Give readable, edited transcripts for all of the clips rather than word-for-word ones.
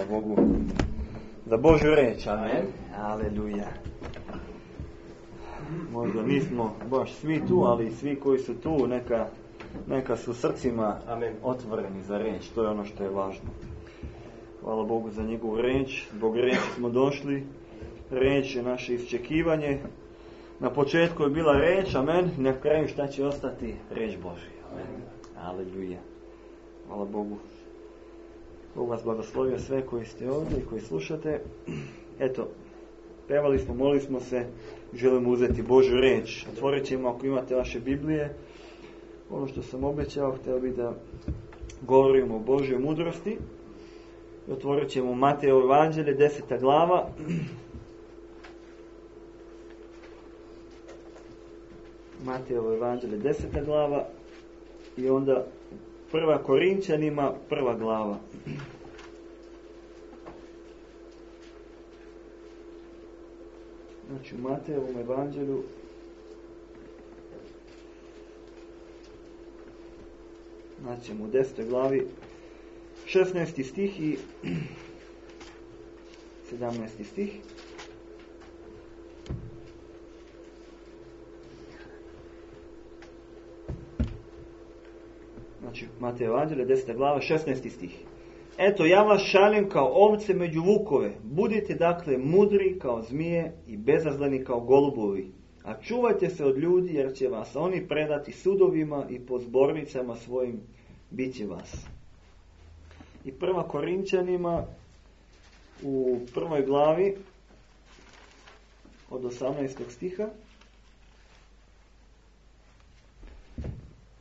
Hvala Bogu za Božju reč. Amen. Aleluja. Možda nismo baš svi tu, ali svi koji su tu neka su srcima otvoreni za reč. To je ono što je važno. Hvala Bogu za njegovu reč. Zbog reči smo došli. Reč je naše iščekivanje. Na početku je bila reč, amen. Na kraju šta će ostati? Reč Božja. Amen. Aleluja. Hvala Bogu. Bog vas blagoslovio sve koji ste ovdje i koji slušate. Eto, pevali smo, molili smo se, želimo uzeti Božju reč. Otvorit ćemo ako imate vaše Biblije. Ono što sam obećao, htio bih da govorimo o Božjoj mudrosti. Otvorit ćemo Matejevo evanđelje, 10. glava. Matejevo evanđelje, 10. glava. I onda 1. Korinčanima, 1. glava. Znači u Matejevom evanđelju naćemo u 10. glavi 16. stih i 17. stih. Znači, Matej evanđelje, 10. glava, 16. stih. Eto, ja vas šaljem kao ovce među vukove. Budite dakle mudri kao zmije i bezazleni kao golubovi. A čuvajte se od ljudi, jer će vas oni predati sudovima i po zbornicama svojim bit će vas. I 1. Korinčanima u 1. glavi od 18. stiha.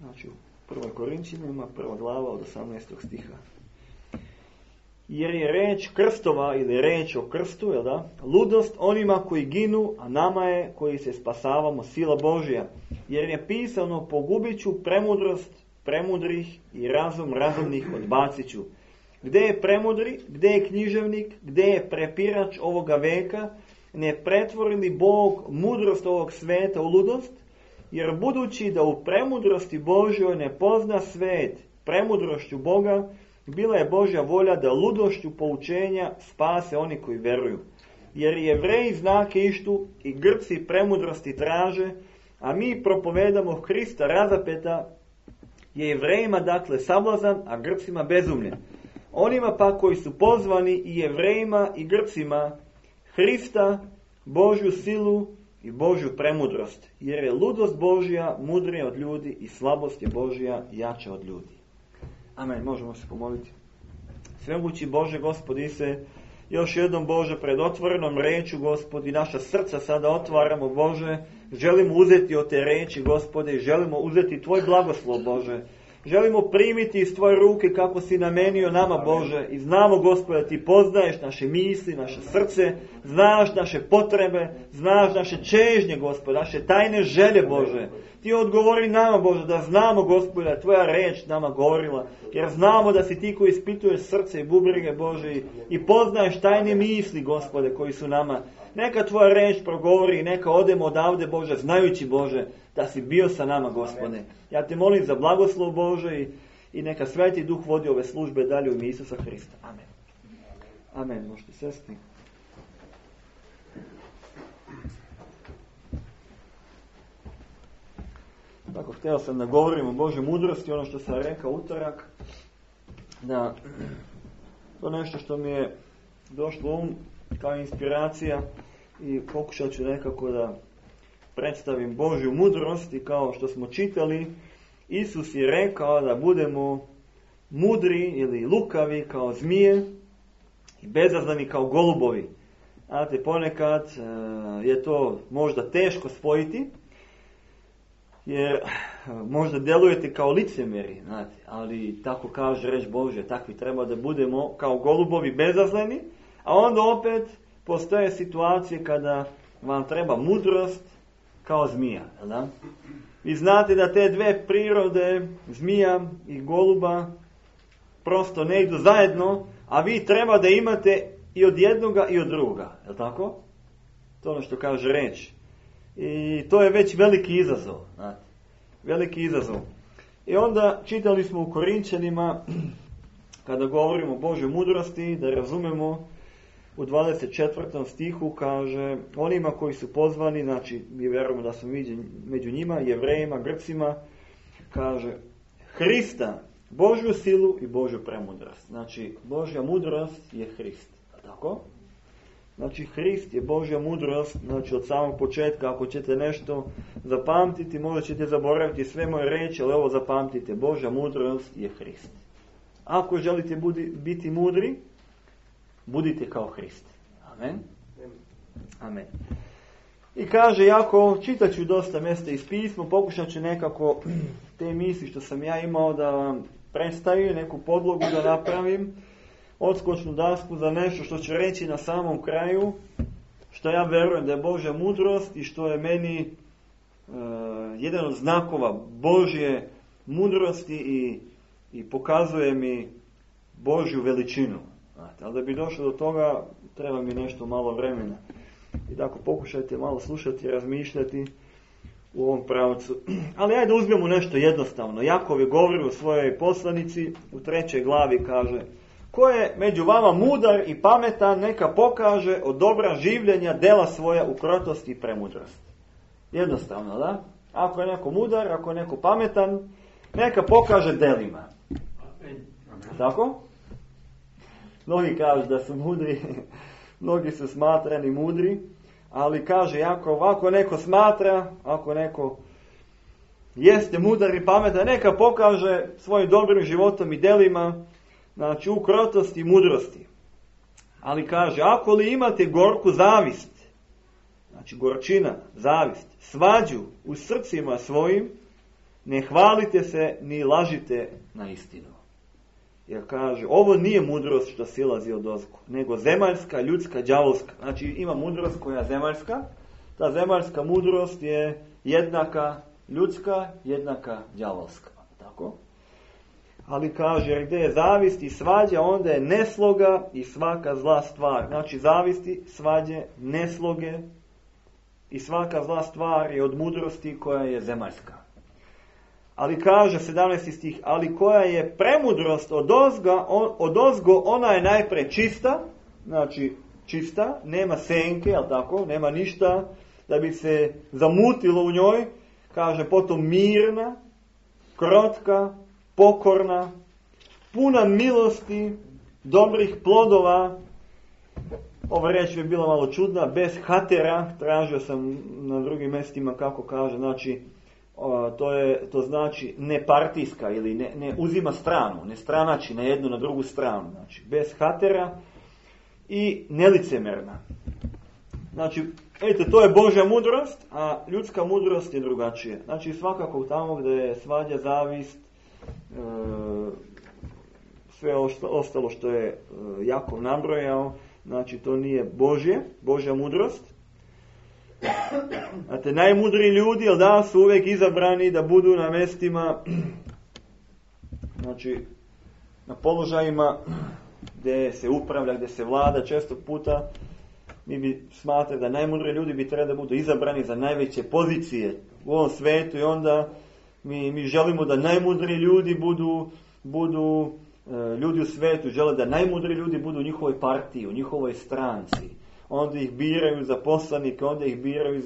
Znači u 1. Korinčanima 1. glava od 18. stiha. Jer je reč krstova ili reč o krstu, jel da? Ludost onima koji ginu, a nama je koji se spasavamo sila Božja. Jer je pisano pogubit ću premudrost premudrih i razum razumnih odbacit ću. Gde je premudri, gde je književnik, gde je prepirač ovoga veka, ne pretvori li Bog mudrost ovog sveta u ludost? Jer budući da u premudrosti Božjoj ne pozna svet premudrošću Boga, bila je Božja volja da ludošću poučenja spase oni koji veruju. Jer Jevreji znake ištu i Grci premudrosti traže, a mi propovedamo Hrista razapeta, je Jevrejima dakle sablazan, a Grcima bezumlje. Onima pa koji su pozvani i Jevrejima i Grcima Hrista, Božju silu i Božju premudrost. Jer je ludost Božja mudrija od ljudi i slabost je Božja jača od ljudi. Amen. Možemo se pomoliti. Svemogući Bože, Gospodi se, još jednom Bože, pred otvorenom rečju, Gospodi, naša srca sada otvaramo, Bože, želimo uzeti od te reči, Gospode, i želimo uzeti Tvoj blagoslov, Bože. Želimo primiti iz Tvoje ruke kako si namenio nama, Bože, i znamo, Gospode, da Ti poznaješ naše misli, naše srce, znaš naše potrebe, znaš naše čežnje, Gospode, naše tajne želje, Bože. Ti odgovori nama, Bože, da znamo, Gospode, da Tvoja reč nama govorila, jer znamo da si Ti koji ispituješ srce i bubrege, Bože, i poznaješ tajne misli, Gospode, koji su nama. Neka Tvoja reč progovori, neka odemo odavde, Bože, znajući, Bože, da si bio sa nama, Gospode. Ja te molim za blagoslov, Bože, i neka Sveti Duh vodi ove službe dalje u ime Isusa Hrista. Amen. Amen. Možete sesti. Tako, htio sam da govorim o Božoj mudrosti, ono što sam rekao utorak, da to nešto što mi je došlo um kao inspiracija i pokušat ću nekako da predstavim Božju mudrost i kao što smo čitali, Isus je rekao da budemo mudri ili lukavi kao zmije i bezazleni kao golubovi. Znate, ponekad je to možda teško spojiti, jer možda delujete kao licemjeri, znate, ali tako kaže reč Božja, takvi treba da budemo kao golubovi bezazleni, a onda opet postoje situacije kada vam treba mudrost kao zmija, da? Vi znate da te dve prirode, zmija i goluba, prosto ne idu zajedno, a vi treba da imate i od jednoga i od druga, je li tako? To ono što kaže reč. I to je već veliki izazov, znate. Veliki izazov. I onda čitali smo u Korinčanima, kada govorimo o Božoj mudrosti, da razumemo u 24. stihu kaže onima koji su pozvani, znači mi vjerujemo da smo među njima, Jevrejima, Grcima, kaže Hrista, Božju silu i Božju premudrost. Znači Božja mudrost je Hrist. Tako? Znači Hrist je Božja mudrost, znači od samog početka ako ćete nešto zapamtiti, možda ćete zaboraviti sve moje reči, ali ovo zapamtite, Božja mudrost je Hrist. Ako želite biti mudri, budite kao Hrist. Amen. Amen. I kaže, jako čitat ću dosta mjesta iz pisma, pokušat ću nekako te misli što sam ja imao da vam predstavim, neku podlogu da napravim, odskočnu dasku za nešto što ću reći na samom kraju, što ja verujem da je Božja mudrost i što je meni jedan od znakova Božje mudrosti i pokazuje mi Božju veličinu. Ali da bi došlo do toga, treba mi nešto malo vremena. I tako pokušajte malo slušati i razmišljati u ovom pravcu. Ali ajde uzmemo nešto jednostavno. Jakov je govorio u svojoj poslanici, u 3. glavi kaže: ko je među vama mudar i pametan, neka pokaže od dobra življenja dela svoja u krotosti i premudrosti. Jednostavno, da? Ako je neko mudar, ako je neko pametan, neka pokaže delima. Tako? Mnogi kažu da su mudri, mnogi su smatrani mudri, ali kaže Jakov, ako neko smatra, ako neko jeste mudar i pametan, neka pokaže svojim dobrim životom i delima, znači u krotosti i mudrosti. Ali kaže, ako li imate gorku zavist, znači gorčina, zavist, svađu u srcima svojim, ne hvalite se ni lažite na istinu. Jer kaže, ovo nije mudrost što silazi od ozgo, nego zemaljska, ljudska, đavolska. Znači ima mudrost koja je zemaljska, ta zemaljska mudrost je jednaka ljudska, jednaka đavolska. Tako? Ali kaže, jer gdje je zavist i svađa, onda je nesloga i svaka zla stvar. Znači zavisti, svađe, nesloge i svaka zla stvar je od mudrosti koja je zemaljska. Ali kaže 17. stih, ali koja je premudrost od ozgo, ona je najpre čista, znači čista, nema senke, jel tako, nema ništa da bi se zamutilo u njoj, kaže potom mirna, krotka, pokorna, puna milosti, dobrih plodova. Ova riječ bi bila malo čudna, bez hatera, tražio sam na drugim mjestima kako kaže, znači to znači nepartijska ili ne uzima stranu, ne stranači na jednu na drugu stranu, znači bez hatera i nelicemerna. Znači, eto, to je Božja mudrost, a ljudska mudrost je drugačije. Znači svakako tamo gdje je svađa, zavist, sve ostalo što je Jakov nabrojao, znači to nije Božja mudrost. Znate, najmudri ljudi, jel da, su uvijek izabrani da budu na mjestima, znači na položajima gdje se upravlja, gdje se vlada. Često puta mi bi smatrali da najmudri ljudi bi trebali da budu izabrani za najveće pozicije u ovom svijetu i onda mi želimo da najmudri ljudi budu ljudi u svijetu, žele da najmudri ljudi budu u njihovoj partiji, u njihovoj stranci. Onda ih biraju za poslanike, onda ih biraju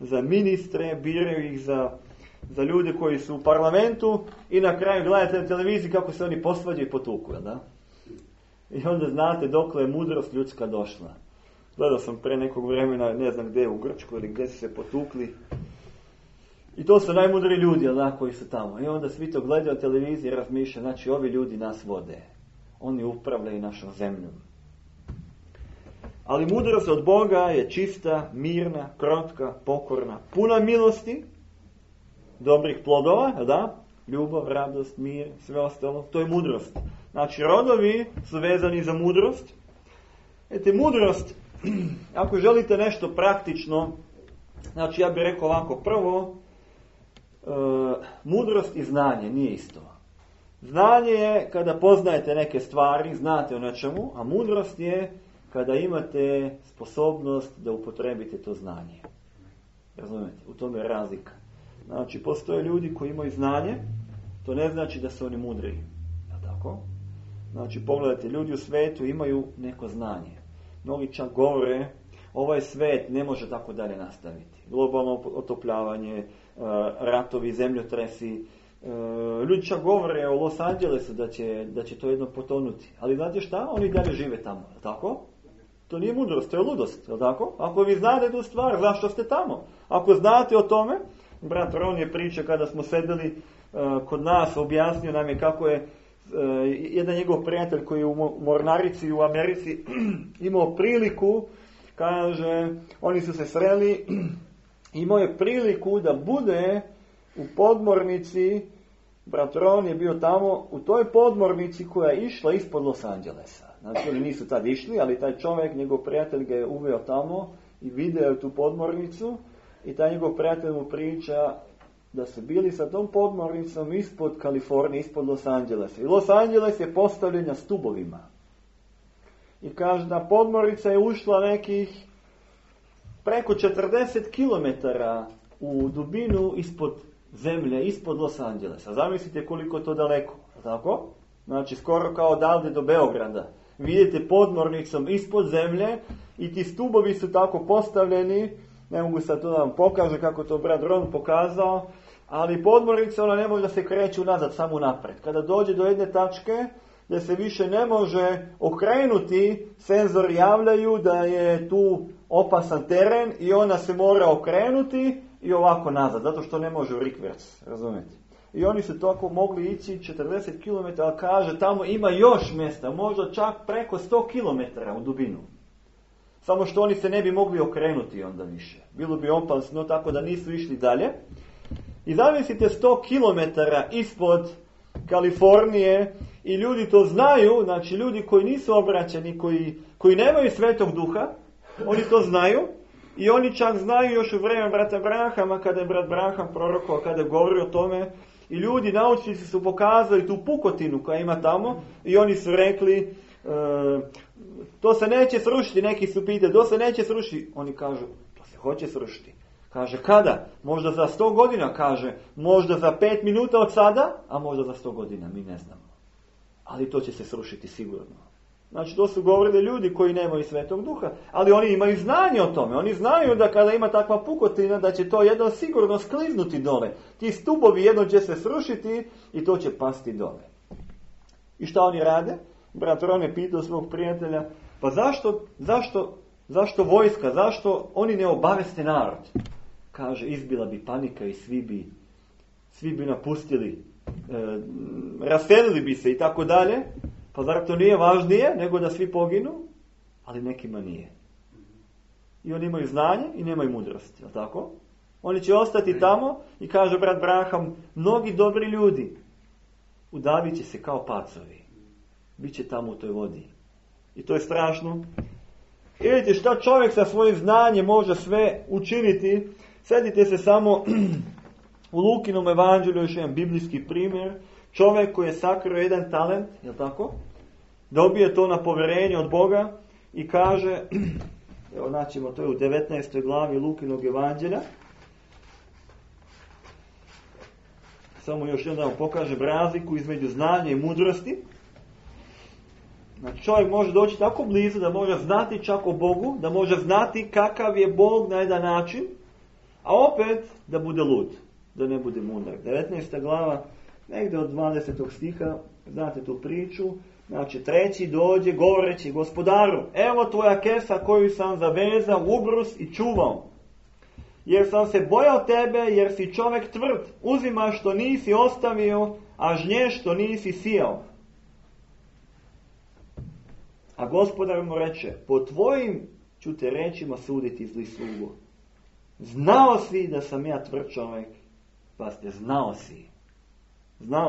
za ministre, biraju ih za ljude koji su u parlamentu i na kraju gledate na televiziji kako se oni posvađaju i potuku, da? I onda znate dokle je mudrost ljudska došla. Gledao sam pre nekog vremena, ne znam gdje, u Grčku ili gdje su se potukli. I to su najmudri ljudi, da, koji su tamo. I onda svi to gledaju na televiziji i razmišljaju, znači ovi ljudi nas vode. Oni upravljaju našom zemljom. Ali mudrost od Boga je čista, mirna, krotka, pokorna, puna milosti, dobrih plodova, da? Ljubav, radost, mir, sve ostalo. To je mudrost. Znači, rodovi su vezani za mudrost. Mudrost, ako želite nešto praktično, znači ja bih rekao ovako, prvo, mudrost i znanje nije isto. Znanje je kada poznajete neke stvari, znate o nečemu, a mudrost je kada imate sposobnost da upotrebite to znanje. Razumijete? U tome je razlika. Znači, postoje ljudi koji imaju znanje, to ne znači da su oni mudri. Tako? Znači, pogledajte, ljudi u svetu imaju neko znanje. Mnogi čak govore, ovaj svet ne može tako dalje nastaviti. Globalno otopljavanje, ratovi, zemljotresi. Ljudi čak govore o Los Angelesu da će to jedno potonuti. Ali znate šta? Oni dalje žive tamo, tako? To nije mudrost, to je ludost, je tako? Ako vi znate tu stvar, zašto ste tamo? Ako znate o tome, brat Ron je priča kada smo sedeli kod nas, objasnio nam je kako je jedan njegov prijatelj koji je u mornarici u Americi imao priliku, kaže, oni su se sreli, imao je priliku da bude u podmornici, brat Ron je bio tamo, u toj podmornici koja je išla ispod Los Angelesa. Znači oni nisu tad išli, ali taj čovjek, njegov prijatelj ga je uveo tamo i video tu podmornicu i taj njegov prijatelj mu priča da su bili sa tom podmornicom ispod Kalifornije, ispod Los Angelesa. I Los Angeles je postavljen na stubovima. I kaže da podmornica je ušla nekih preko 40 km u dubinu ispod zemlje, ispod Los Angelesa. Zamislite koliko to daleko, tako? Znači skoro kao odavde do Beograda. Vidite podmornicom ispod zemlje i ti stubovi su tako postavljeni, ne mogu sad to da vam pokaže kako to brat Ron pokazao, ali podmornica ona ne može da se kreće unazad, samo napred. Kada dođe do jedne tačke gdje se više ne može okrenuti, senzori javljaju da je tu opasan teren i ona se mora okrenuti i ovako nazad, zato što ne može u rikverc, razumijete? I oni su tako mogli ići 40 km, a kaže tamo ima još mjesta, možda čak preko 100 km u dubinu. Samo što oni se ne bi mogli okrenuti onda više. Bilo bi opasno, tako da nisu išli dalje. I zamislite 100 km ispod Kalifornije i ljudi to znaju, znači ljudi koji nisu obraćeni, koji nemaju Svetog Duha, oni to znaju i oni čak znaju još u vrijeme brata Branhama, kada je brat Branham prorokovao, kada je govorio o tome, i ljudi, naučnici su pokazali tu pukotinu koja ima tamo i oni su rekli to se neće srušiti, neki su pitali, to se neće srušiti. Oni kažu, to se hoće srušiti. Kaže, kada? Možda za 100 godina, kaže, možda za 5 minuta od sada, a možda za 100 godina, mi ne znamo. Ali to će se srušiti sigurno. Znači, to su govorili ljudi koji nemaju Svetog Duha, ali oni imaju znanje o tome. Oni znaju da kada ima takva pukotina, da će to jedno sigurno skliznuti dole. Ti stubovi jedno će se srušiti i to će pasti dole. I šta oni rade? Brat Ron je pitao svog prijatelja, pa zašto vojska, zašto oni ne obaveste narod? Kaže, izbila bi panika i svi bi napustili, raselili bi se i tako dalje. Pa zar to nije važnije nego da svi poginu? Ali nekima nije. I oni imaju znanje i nemaju mudrosti, je li tako? Oni će ostati tamo i kaže brat Branham, mnogi dobri ljudi udavit će se kao pacovi. Biće tamo u toj vodi. I to je strašno. I vidite šta čovjek sa svojim znanjem može sve učiniti. Sjetite se samo u Lukinom evanđelju, još jedan biblijski primjer. Čovjek koji je sakrio jedan talent, je li tako? Dobije to na povjerenje od Boga i kaže, evo naćemo to je u 19. glavi Lukinog evanđelja. Samo još jedan da vam pokažem razliku između znanja i mudrosti. Znači čovjek može doći tako blizu da može znati čak o Bogu, da može znati kakav je Bog na jedan način, a opet da bude lud, da ne bude mudar. 19. glava, negdje od 20. stiha, znate tu priču, znači treći dođe govoreći gospodaru, evo tvoja kesa koju sam zavezao u ubrus i čuvao. Jer sam se bojao tebe, jer si čovjek tvrd, uzima što nisi ostavio, a žnje što nisi sijao. A gospodar mu reče, po tvojim ću te rečima suditi zli slugo. Znao si da sam ja tvrd čovjek, pa ste znao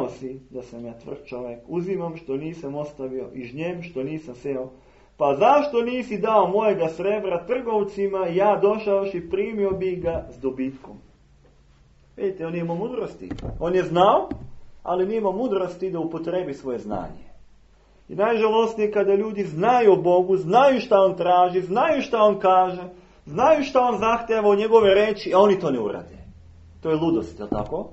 si da sam ja tvrd čovjek, uzimam što nisam ostavio i žnjem što nisam seo. Pa zašto nisi dao mojega srebra trgovcima, ja došaoš i primio bi ga s dobitkom. Vidite, on nije imao mudrosti. On je znao, ali nije imao mudrosti da upotrebi svoje znanje. I najžalostnije kada ljudi znaju o Bogu, znaju šta on traži, znaju šta on kaže, znaju šta on zahtjeva od njegove reči, a oni to ne urade. To je ludost, je li tako?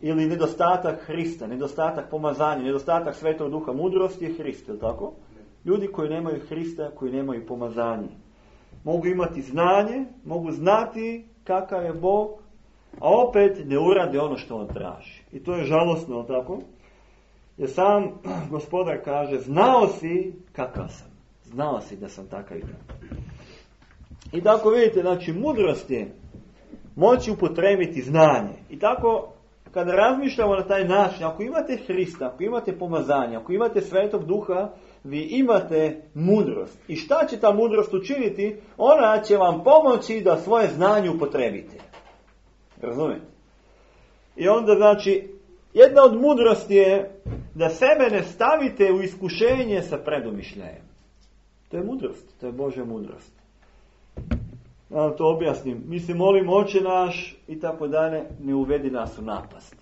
ili nedostatak Hrista, nedostatak pomazanja, nedostatak Svetog Duha, mudrost je Hrist, je li tako? Ljudi koji nemaju Hrista, koji nemaju pomazanje. Mogu imati znanje, mogu znati kakav je Bog, a opet ne urade ono što on traži. I to je žalosno, tako? Jer sam Gospodar kaže, znao si kakav sam. Znao si da sam takav i takav. I tako vidite, znači mudrost je moći upotrebiti znanje. I tako, kada razmišljamo na taj način, ako imate Hrista, ako imate pomazanje, ako imate Svetog Duha, vi imate mudrost. I šta će ta mudrost učiniti? Ona će vam pomoći da svoje znanje upotrebite. Razumijete? I onda, znači, jedna od mudrosti je da sebe ne stavite u iskušenje sa predumišljajem. To je mudrost, to je Božja mudrost. Da vam to objasnim. Mi se molimo Oče naš i tako dalje, ne uvedi nas u napast.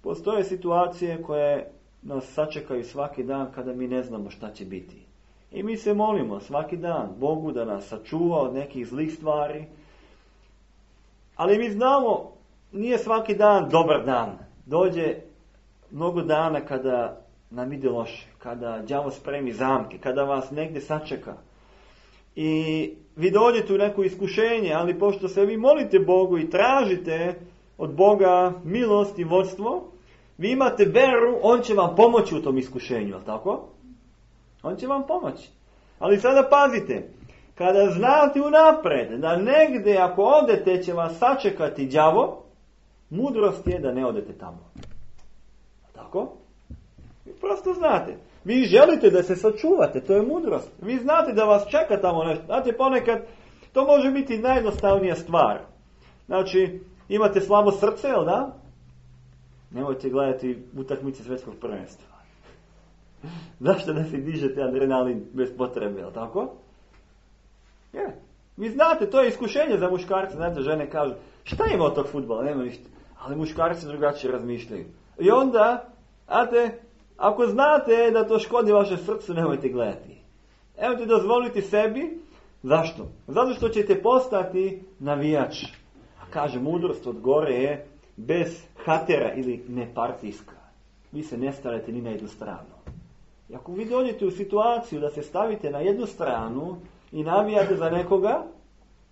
Postoje situacije koje nas sačekaju svaki dan kada mi ne znamo šta će biti. I mi se molimo svaki dan Bogu da nas sačuva od nekih zlih stvari. Ali mi znamo, nije svaki dan dobar dan. Dođe mnogo dana kada nam ide loše, kada đavo spremi zamke, kada vas negdje sačeka. I vi dođete u neko iskušenje, ali pošto se vi molite Bogu i tražite od Boga milost i vodstvo, vi imate veru, on će vam pomoći u tom iskušenju, je li tako? On će vam pomoći. Ali sada pazite, kada znate unapred da negdje ako odete će vas sačekati đavo, mudrost je da ne odete tamo. Tako? Vi prosto znate. Vi želite da se sačuvate, to je mudrost. Vi znate da vas čeka tamo nešto. Znate, ponekad to može biti najjednostavnija stvar. Znači, imate slabo srce, jel da? Nemojte gledati utakmice svjetskog prvenstva. Zašto da se dižete adrenalin bez potrebe, jel tako? Je. Vi znate, to je iskušenje za muškarce. Znate, žene kažu, šta ima od tog fudbala? Nema ništa. Ali muškarci drugačije razmišljaju. I onda, znate, ako znate da to škodi vaše srcu, nemojte gledati. Nemojte dozvoliti sebi. Zašto? Zato što ćete postati navijač. A kaže, mudrost od gore je bez hatera ili nepartijska. Vi se ne stavite ni na jednu stranu. I ako vi dođete u situaciju da se stavite na jednu stranu i navijate za nekoga,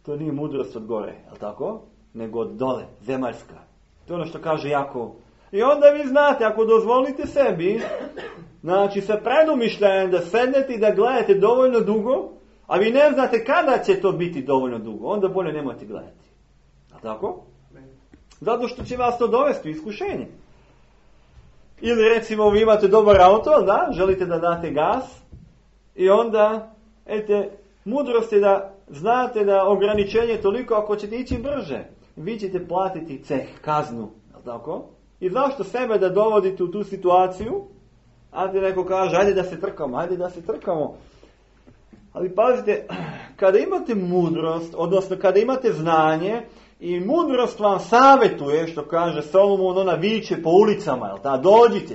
to nije mudrost od gore, je li tako? Nego od dole, zemaljska. To je ono što kaže Jakov. I onda vi znate, ako dozvolite sebi, znači sa predumišljajem da sednete i da gledate dovoljno dugo, a vi ne znate kada će to biti dovoljno dugo, onda bolje nemojte gledati. A tako? Zato što će vas to dovesti u iskušenje. Ili recimo vi imate dobar auto, da, želite da date gas, i onda, mudrost je da znate da ograničenje je toliko, ako ćete ići brže, vi ćete platiti ceh, kaznu, je li tako? I zašto sebe da dovodite u tu situaciju? A ti neko kaže, ajde da se trkamo. Ali pazite, kada imate mudrost, odnosno kada imate znanje, i mudrost vam savjetuje, što kaže Solomon, ona viče po ulicama, jel ta?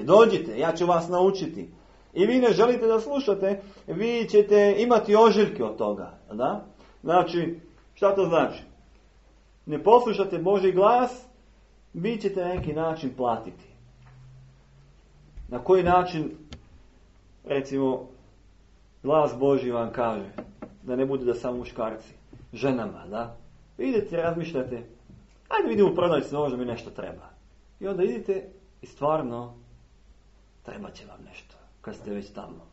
Dođite, ja ću vas naučiti. I vi ne želite da slušate, vi ćete imati ožiljke od toga, jel da? Znači, šta to znači? Ne poslušate Božji glas, vi ćete na neki način platiti. Na koji način, recimo, glas Božji vam kaže, da ne bude da samo muškarci, ženama, da? Idete, razmišljate, ajde vidimo u prodavnici, možda mi nešto treba. I onda idete i stvarno treba će vam nešto, kad ste već tamo.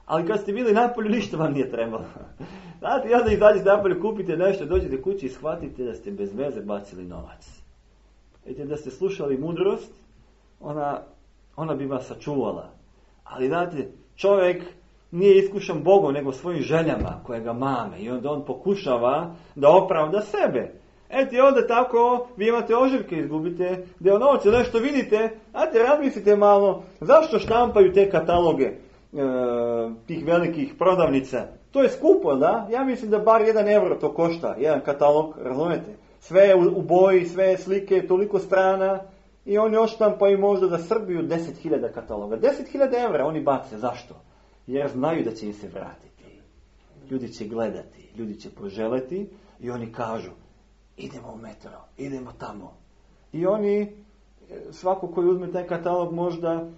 Ali kad ste bili napolju, ništa vam nije trebalo. Znate, i onda izađete napolju, kupite nešto, dođete kući i shvatite da ste bez veze bacili novac. Vidite, da ste slušali mudrost, ona bi vas sačuvala. Ali znate, čovjek nije iskušan Bogom, nego svojim željama koje ga mame. I onda on pokušava da opravda sebe. I onda tako vi imate ožiljke, izgubite novce, nešto vidite, razmislite malo, zašto štampaju te kataloge tih velikih prodavnica? To je skupo, da? Ja mislim da bar 1 euro to košta, jedan katalog, razumete? Sve je u boji, sve je slike, toliko strana, i oni odštampaju možda za Srbiju 10.000 kataloga. 10.000 evra oni bace, zašto? Jer znaju da će im se vratiti. Ljudi će gledati, ljudi će poželeti i oni kažu, idemo u metro, idemo tamo. I oni svako koji uzme taj katalog,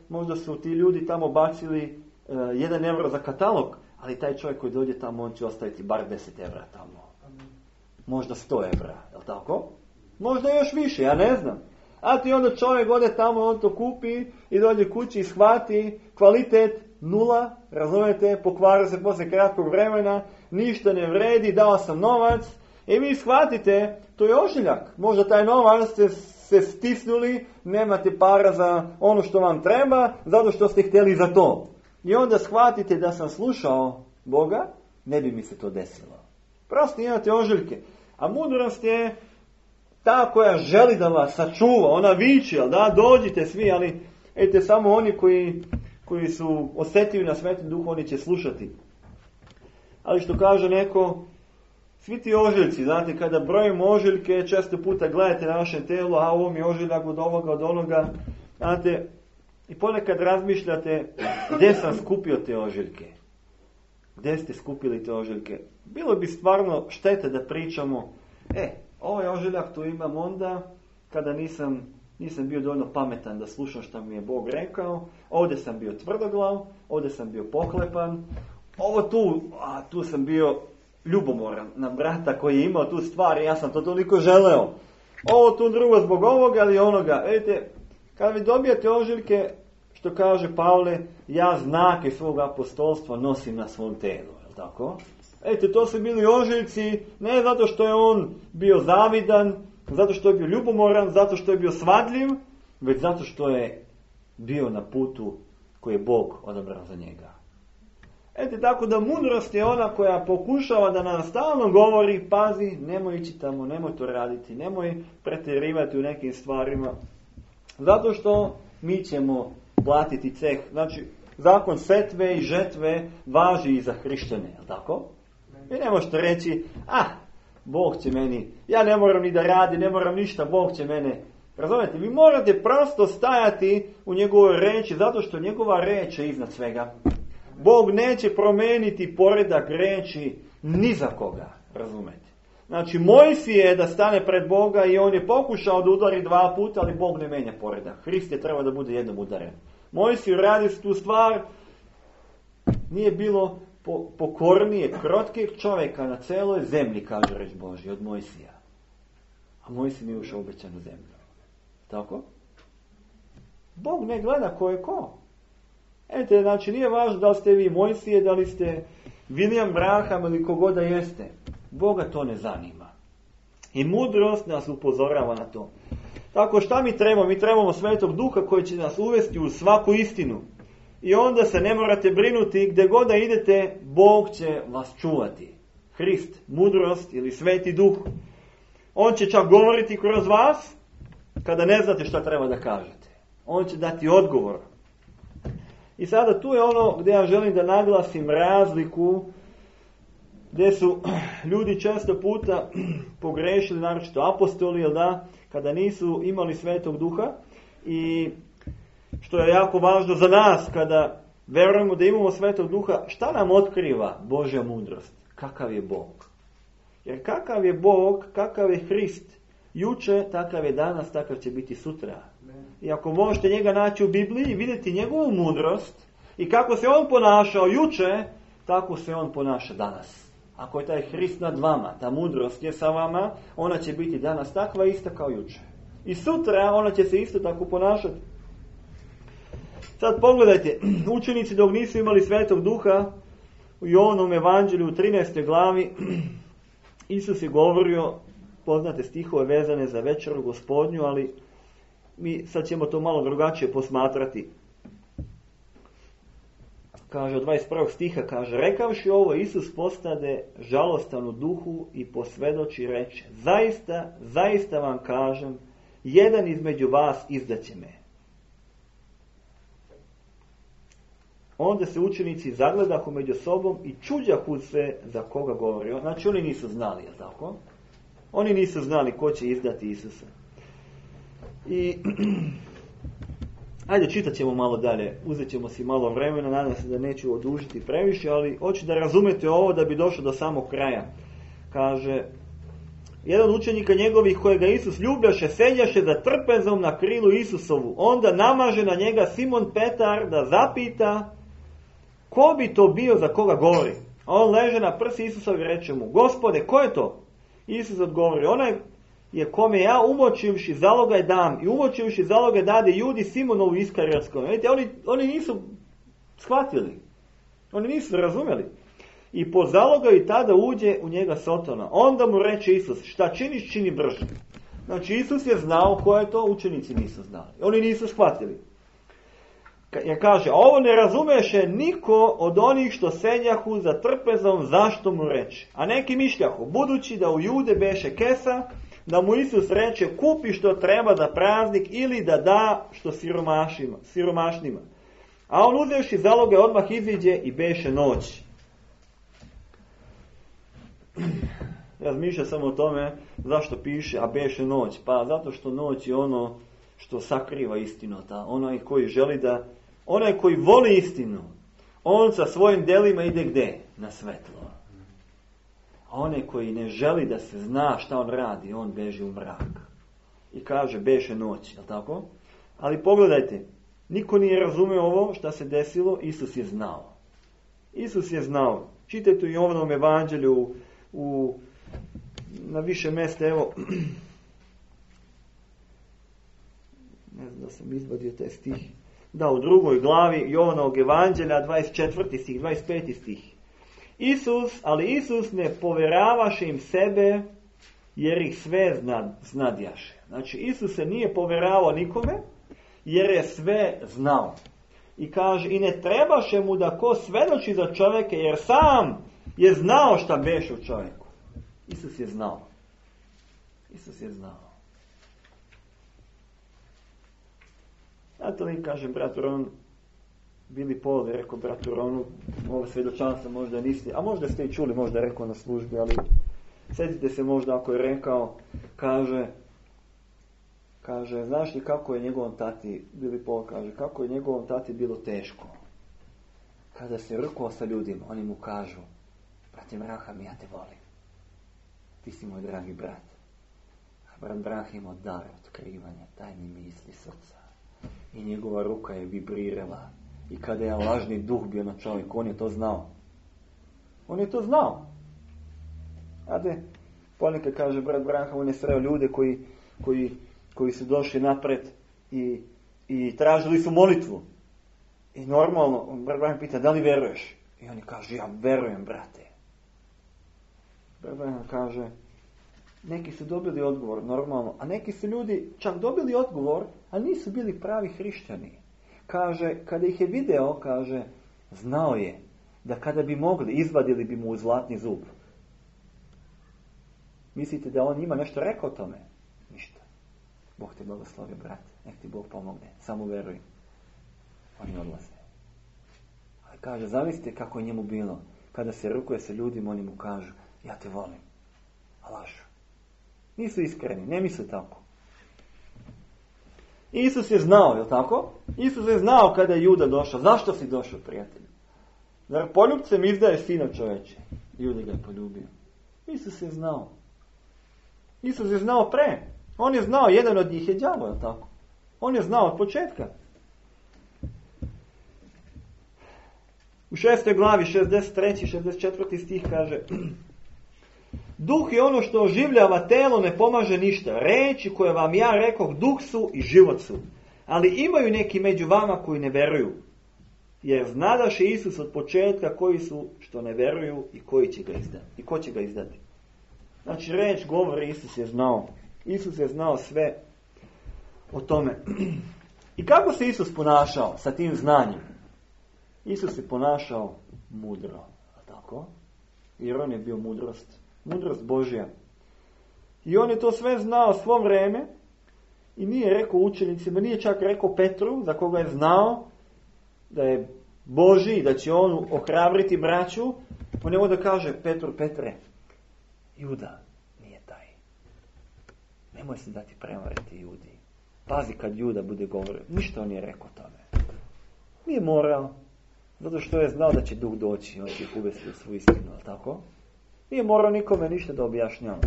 možda su ti ljudi tamo bacili 1 euro za katalog, ali taj čovjek koji dođe tamo, on će ostaviti bar 10 evra tamo. Možda 100 evra, je li tako? Možda još više, ja ne znam. A ti onda čovjek ode tamo, on to kupi i dođe kući i shvati kvalitet 0, razumijete, pokvara se poslije kratkog vremena, ništa ne vredi, dao sam novac i vi shvatite, to je ožiljak. Možda taj novac ste se stisnuli, nemate para za ono što vam treba, zato što ste htjeli za to. I onda shvatite da sam slušao Boga, ne bi mi se to desilo. Prosto imate ožiljke. A mudrost je ta koja želi da vas sačuva, ona viče, da, dođite svi, ali vidite, samo oni koji su osjetljivi na Sveti Duh, oni će slušati. Ali što kaže neko, svi ti ožiljci, znate, kada brojimo ožiljke, često puta gledate na vašem telu, a ovo mi je ožiljak od ovoga, od onoga, znate, i ponekad razmišljate, gdje sam skupio te ožiljke? Gdje ste skupili te ožiljke? Bilo bi stvarno štete da pričamo, ovaj ožiljak tu imam onda, kada nisam bio dovoljno pametan da slušam što mi je Bog rekao, ovdje sam bio tvrdoglav, ovdje sam bio pohlepan, ovo tu sam bio ljubomoran na brata koji je imao tu stvar i ja sam to toliko želeo. Ovo tu drugo zbog ovoga ili onoga. Vidite, kada vi dobijete ožiljke, što kaže Pavle, ja znake svog apostolstva nosim na svom telu, je li tako? Vidite, to su bili ožiljci, ne zato što je on bio zavidan, zato što je bio ljubomoran, zato što je bio svadljiv, već zato što je bio na putu koji je Bog odabrao za njega. Vidite, tako da mudrost je ona koja pokušava da nam stalno govori, pazi, nemoj ići tamo, nemoj to raditi, nemoj pretjerivati u nekim stvarima, zato što mi ćemo platiti ceh. Znači, zakon setve i žetve važi i za hrišćane, je li tako? Vi ne možete reći, Bog će meni, ja ne moram ni da radi, ne moram ništa, Bog će mene. Razumijete, vi morate prosto stajati u njegovoj reči, zato što njegova reč je iznad svega. Bog neće promijeniti poredak reči ni za koga, razumijete. Znači, Mojsije je da stane pred Boga i on je pokušao da udari 2 puta, ali Bog ne menja poredak. Hrist je treba da bude jednom udaren. Mojsiju radi tu stvar, nije bilo pokornije, krotkih čovjeka na celoj zemlji, kaže reč Božja, od Mojsija. A Mojsij nije ušao u obećanu zemlju. Tako? Bog ne gleda ko je ko. Eto, znači nije važno da li ste vi Mojsije, da li ste William Branham ili kogoda jeste. Boga to ne zanima. I mudrost nas upozorava na to. Tako, šta mi trebamo? Mi trebamo Svetog Duha koji će nas uvesti u svaku istinu. I onda se ne morate brinuti, gdje god da idete, Bog će vas čuvati. Hrist, mudrost ili Sveti Duh. On će čak govoriti kroz vas, kada ne znate šta treba da kažete. On će dati odgovor. I sada tu je ono gdje ja želim da naglasim razliku, gdje su ljudi često puta pogrešili, naročito apostoli, jel da, kada nisu imali Svetog Duha, i što je jako važno za nas, kada verujemo da imamo Svetog Duha, šta nam otkriva Božja mudrost? Kakav je Bog? Jer kakav je Bog, kakav je Hrist, juče, takav je danas, takav će biti sutra. I ako možete njega naći u Bibliji i vidjeti njegovu mudrost i kako se on ponašao juče, tako se on ponaša danas. Ako je taj Hrist nad vama, ta mudrost je sa vama, ona će biti danas takva ista kao juče. I sutra ona će se isto tako ponašati. Sad pogledajte, učenici dok nisu imali Svetog Duha, u Jovanom evanđelju u 13. glavi, Isus je govorio, poznate stihove vezane za večeru Gospodnju, ali mi sad ćemo to malo drugačije posmatrati. Kaže, od 21. stiha, kaže, rekavši ovo, Isus postade žalostan u duhu i posvjedoči reče, zaista, zaista vam kažem, jedan između vas izdaće me. Onda se učenici zagledahu među sobom i čuđahu se za koga govori. Znači oni nisu znali, je tako? Oni nisu znali ko će izdati Isusa. I ajde, čitat ćemo malo dalje. Uzet ćemo si malo vremena, nadam se da neću odužiti previše, ali hoću da razumete ovo da bi došlo do samog kraja. Kaže, jedan učenika njegovih kojega Isus ljubljaše, sedjaše za trpezom na krilu Isusovu. Onda namaže na njega Simon Petar da zapita ko bi to bio za koga govori. A on leže na prsi Isusovi i reče mu, Gospode, ko je to? Isus odgovori, onaj je kome ja umočivši zalogaj dam i umočivši zalogaj dade Judi Simonovu Iskarijotskom. Vidite, oni nisu shvatili. Oni nisu razumjeli. I po zalogaju tada uđe u njega Sotona. Onda mu reče Isus, šta činiš, čini brže. Znači Isus je znao ko je to, učenici nisu znali. Oni nisu shvatili. Jer kaže, ovo ne razumeše niko od onih što sedjahu za trpezom, zašto mu reče. A neki mišljahu, budući da u Jude beše kesa, da mu Isus reče, kupi što treba za praznik ili da da što siromašnima. A on uzevši zaloge odmah iziđe i beše noć. Razmišlja samo o tome zašto piše, a beše noć. Pa zato što noć je ono što sakriva istinu. Onaj koji želi da, onaj koji voli istinu, on sa svojim djelima ide gdje? Na svetlo. A onaj koji ne želi da se zna šta on radi, on beži u mrak. I kaže, beše noć, jel tako? Ali pogledajte, niko nije razumio ovo šta se desilo, Isus je znao. Isus je znao. Čitajte u Jovanom evanđelju na više mjesta, evo, ne znam da sam izvadio taj stih, da, u 2. glavi Jovanovog evanđelja, 24. stih, 25. stih. Ali Isus ne povjeravaše im sebe, jer ih sve znadjaše. Znači, Isus se nije povjeravao nikome, jer je sve znao. I kaže, i ne trebaše mu da ko svedoči za čovjeke, jer sam je znao šta beše u čovjeku. Isus je znao. Isus je znao. Zato li kažem, bratu Ron, Bili Paul je rekao bratu Ronu, ovo svjedočanstvo možda niste, a možda ste i čuli, možda je rekao na službi, ali sjetite se možda ako je rekao, kaže, znaš li kako je njegovom tati, Bili Paul kaže, kako je njegovom tati bilo teško. Kada se rukao sa ljudima, oni mu kažu, brate Braham, ja te volim. Ti si moj dragi brat. A brat Braham imao dar otkrivanja, tajni misli srca. I njegova ruka je vibrirala. I kada je lažni duh bio na čovjeku, on je to znao. On je to znao. Znate, ponekad kaže brat Braham, on je sreo ljude koji su došli napred i tražili su molitvu. I normalno, brat Braham pita, da li veruješ? I oni kaže, ja verujem, brate. Brat Braham kaže, neki su dobili odgovor, normalno, a neki su ljudi čak dobili odgovor, ali nisu bili pravi hrišćani. Kaže, kada ih je video, kaže, znao je da kada bi mogli, izvadili bi mu zlatni zub. Mislite da on njima nešto rekao o tome? Ništa. Bog te blagoslovi, brate. Nek ti Bog pomogne. Samo veruj. Oni odlaze. Ali kaže, zamislite kako je njemu bilo. Kada se rukuje sa ljudima, oni mu kažu, ja te volim. A lažu. Nisu iskreni, ne misle tako. Isus je znao, je li tako? Isus je znao kada je Juda došao. Zašto si došao, prijatelju? Zar poljubcem izdaje sina čoveče? Juda ga je poljubio. Isus je znao. Isus je znao pre. On je znao, jedan od njih je đavo, je li tako? On je znao od početka. U 6. glavi, 63. 64. stih kaže, duh je ono što oživljava telo, ne pomaže ništa. Reči koje vam ja rekoh, duh su i život su. Ali imaju neki među vama koji ne veruju. Jer znadaše Isus od početka koji su što ne veruju i koji će ga izdati. I ko će ga izdati. Znači reč govori, Isus je znao. Isus je znao sve o tome. I kako se Isus ponašao sa tim znanjem? Isus se ponašao mudro. Tako? Jer on je bio mudrost. Mudrost Božja. I on je to sve znao svo vrijeme i nije rekao učenicima, nije čak rekao Petru, za koga je znao da je Božji, da će on ohrabriti braću. On je onda kaže, Petre, Juda nije taj. Nemoj se dati prevariti Judi. Pazi kad Juda bude govorio. Ništa on nije rekao tome. Nije morao. Zato što je znao da će duh doći. On će ih uvesti u svoju istinu, ali tako? Nije morao nikome ništa da objašnjava.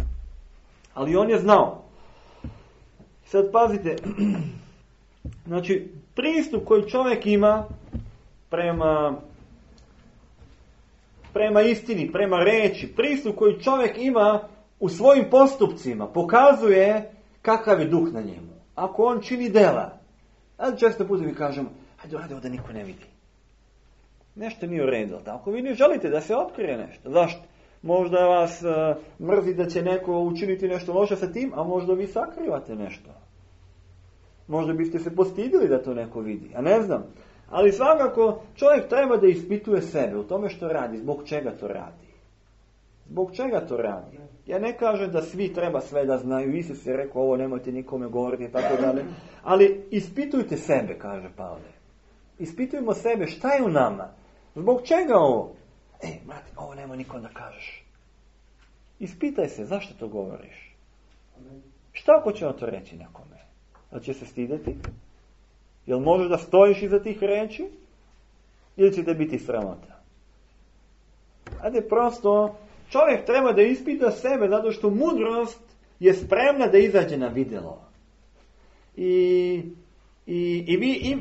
Ali on je znao. Sad pazite, znači pristup koji čovjek ima prema istini, prema reči, pristup koji čovjek ima u svojim postupcima pokazuje kakav je duh na njemu. Ako on čini dela, ali često puta mi kažemo, hajde radi da niko ne vidi. Nešto nije u redu, tako? Vi ne želite da se otkrije nešto. Zašto? Možda vas mrzi da će neko učiniti nešto loše sa tim, a možda vi sakrivate nešto. Možda biste se postidili da to neko vidi, a ne znam. Ali svakako čovjek treba da ispituje sebe u tome što radi, zbog čega to radi. Zbog čega to radi? Ja ne kažem da svi treba sve da znaju, Isus je rekao ovo nemojte nikome govoriti i tako dalje, ali ispitujte sebe, kaže Pavle. Ispitujemo sebe, šta je u nama? Zbog čega ovo? Brate, ovo nemoj nikom da kažeš. Ispitaj se, zašto to govoriš? Šta ako će on to reći nekome? Da će se stideti? Jel možeš da stojiš iza tih reči? Ili će te biti sramota? Ajde, prosto, čovjek treba da ispita sebe, zato što mudrost je spremna da izađe na vidjelo. I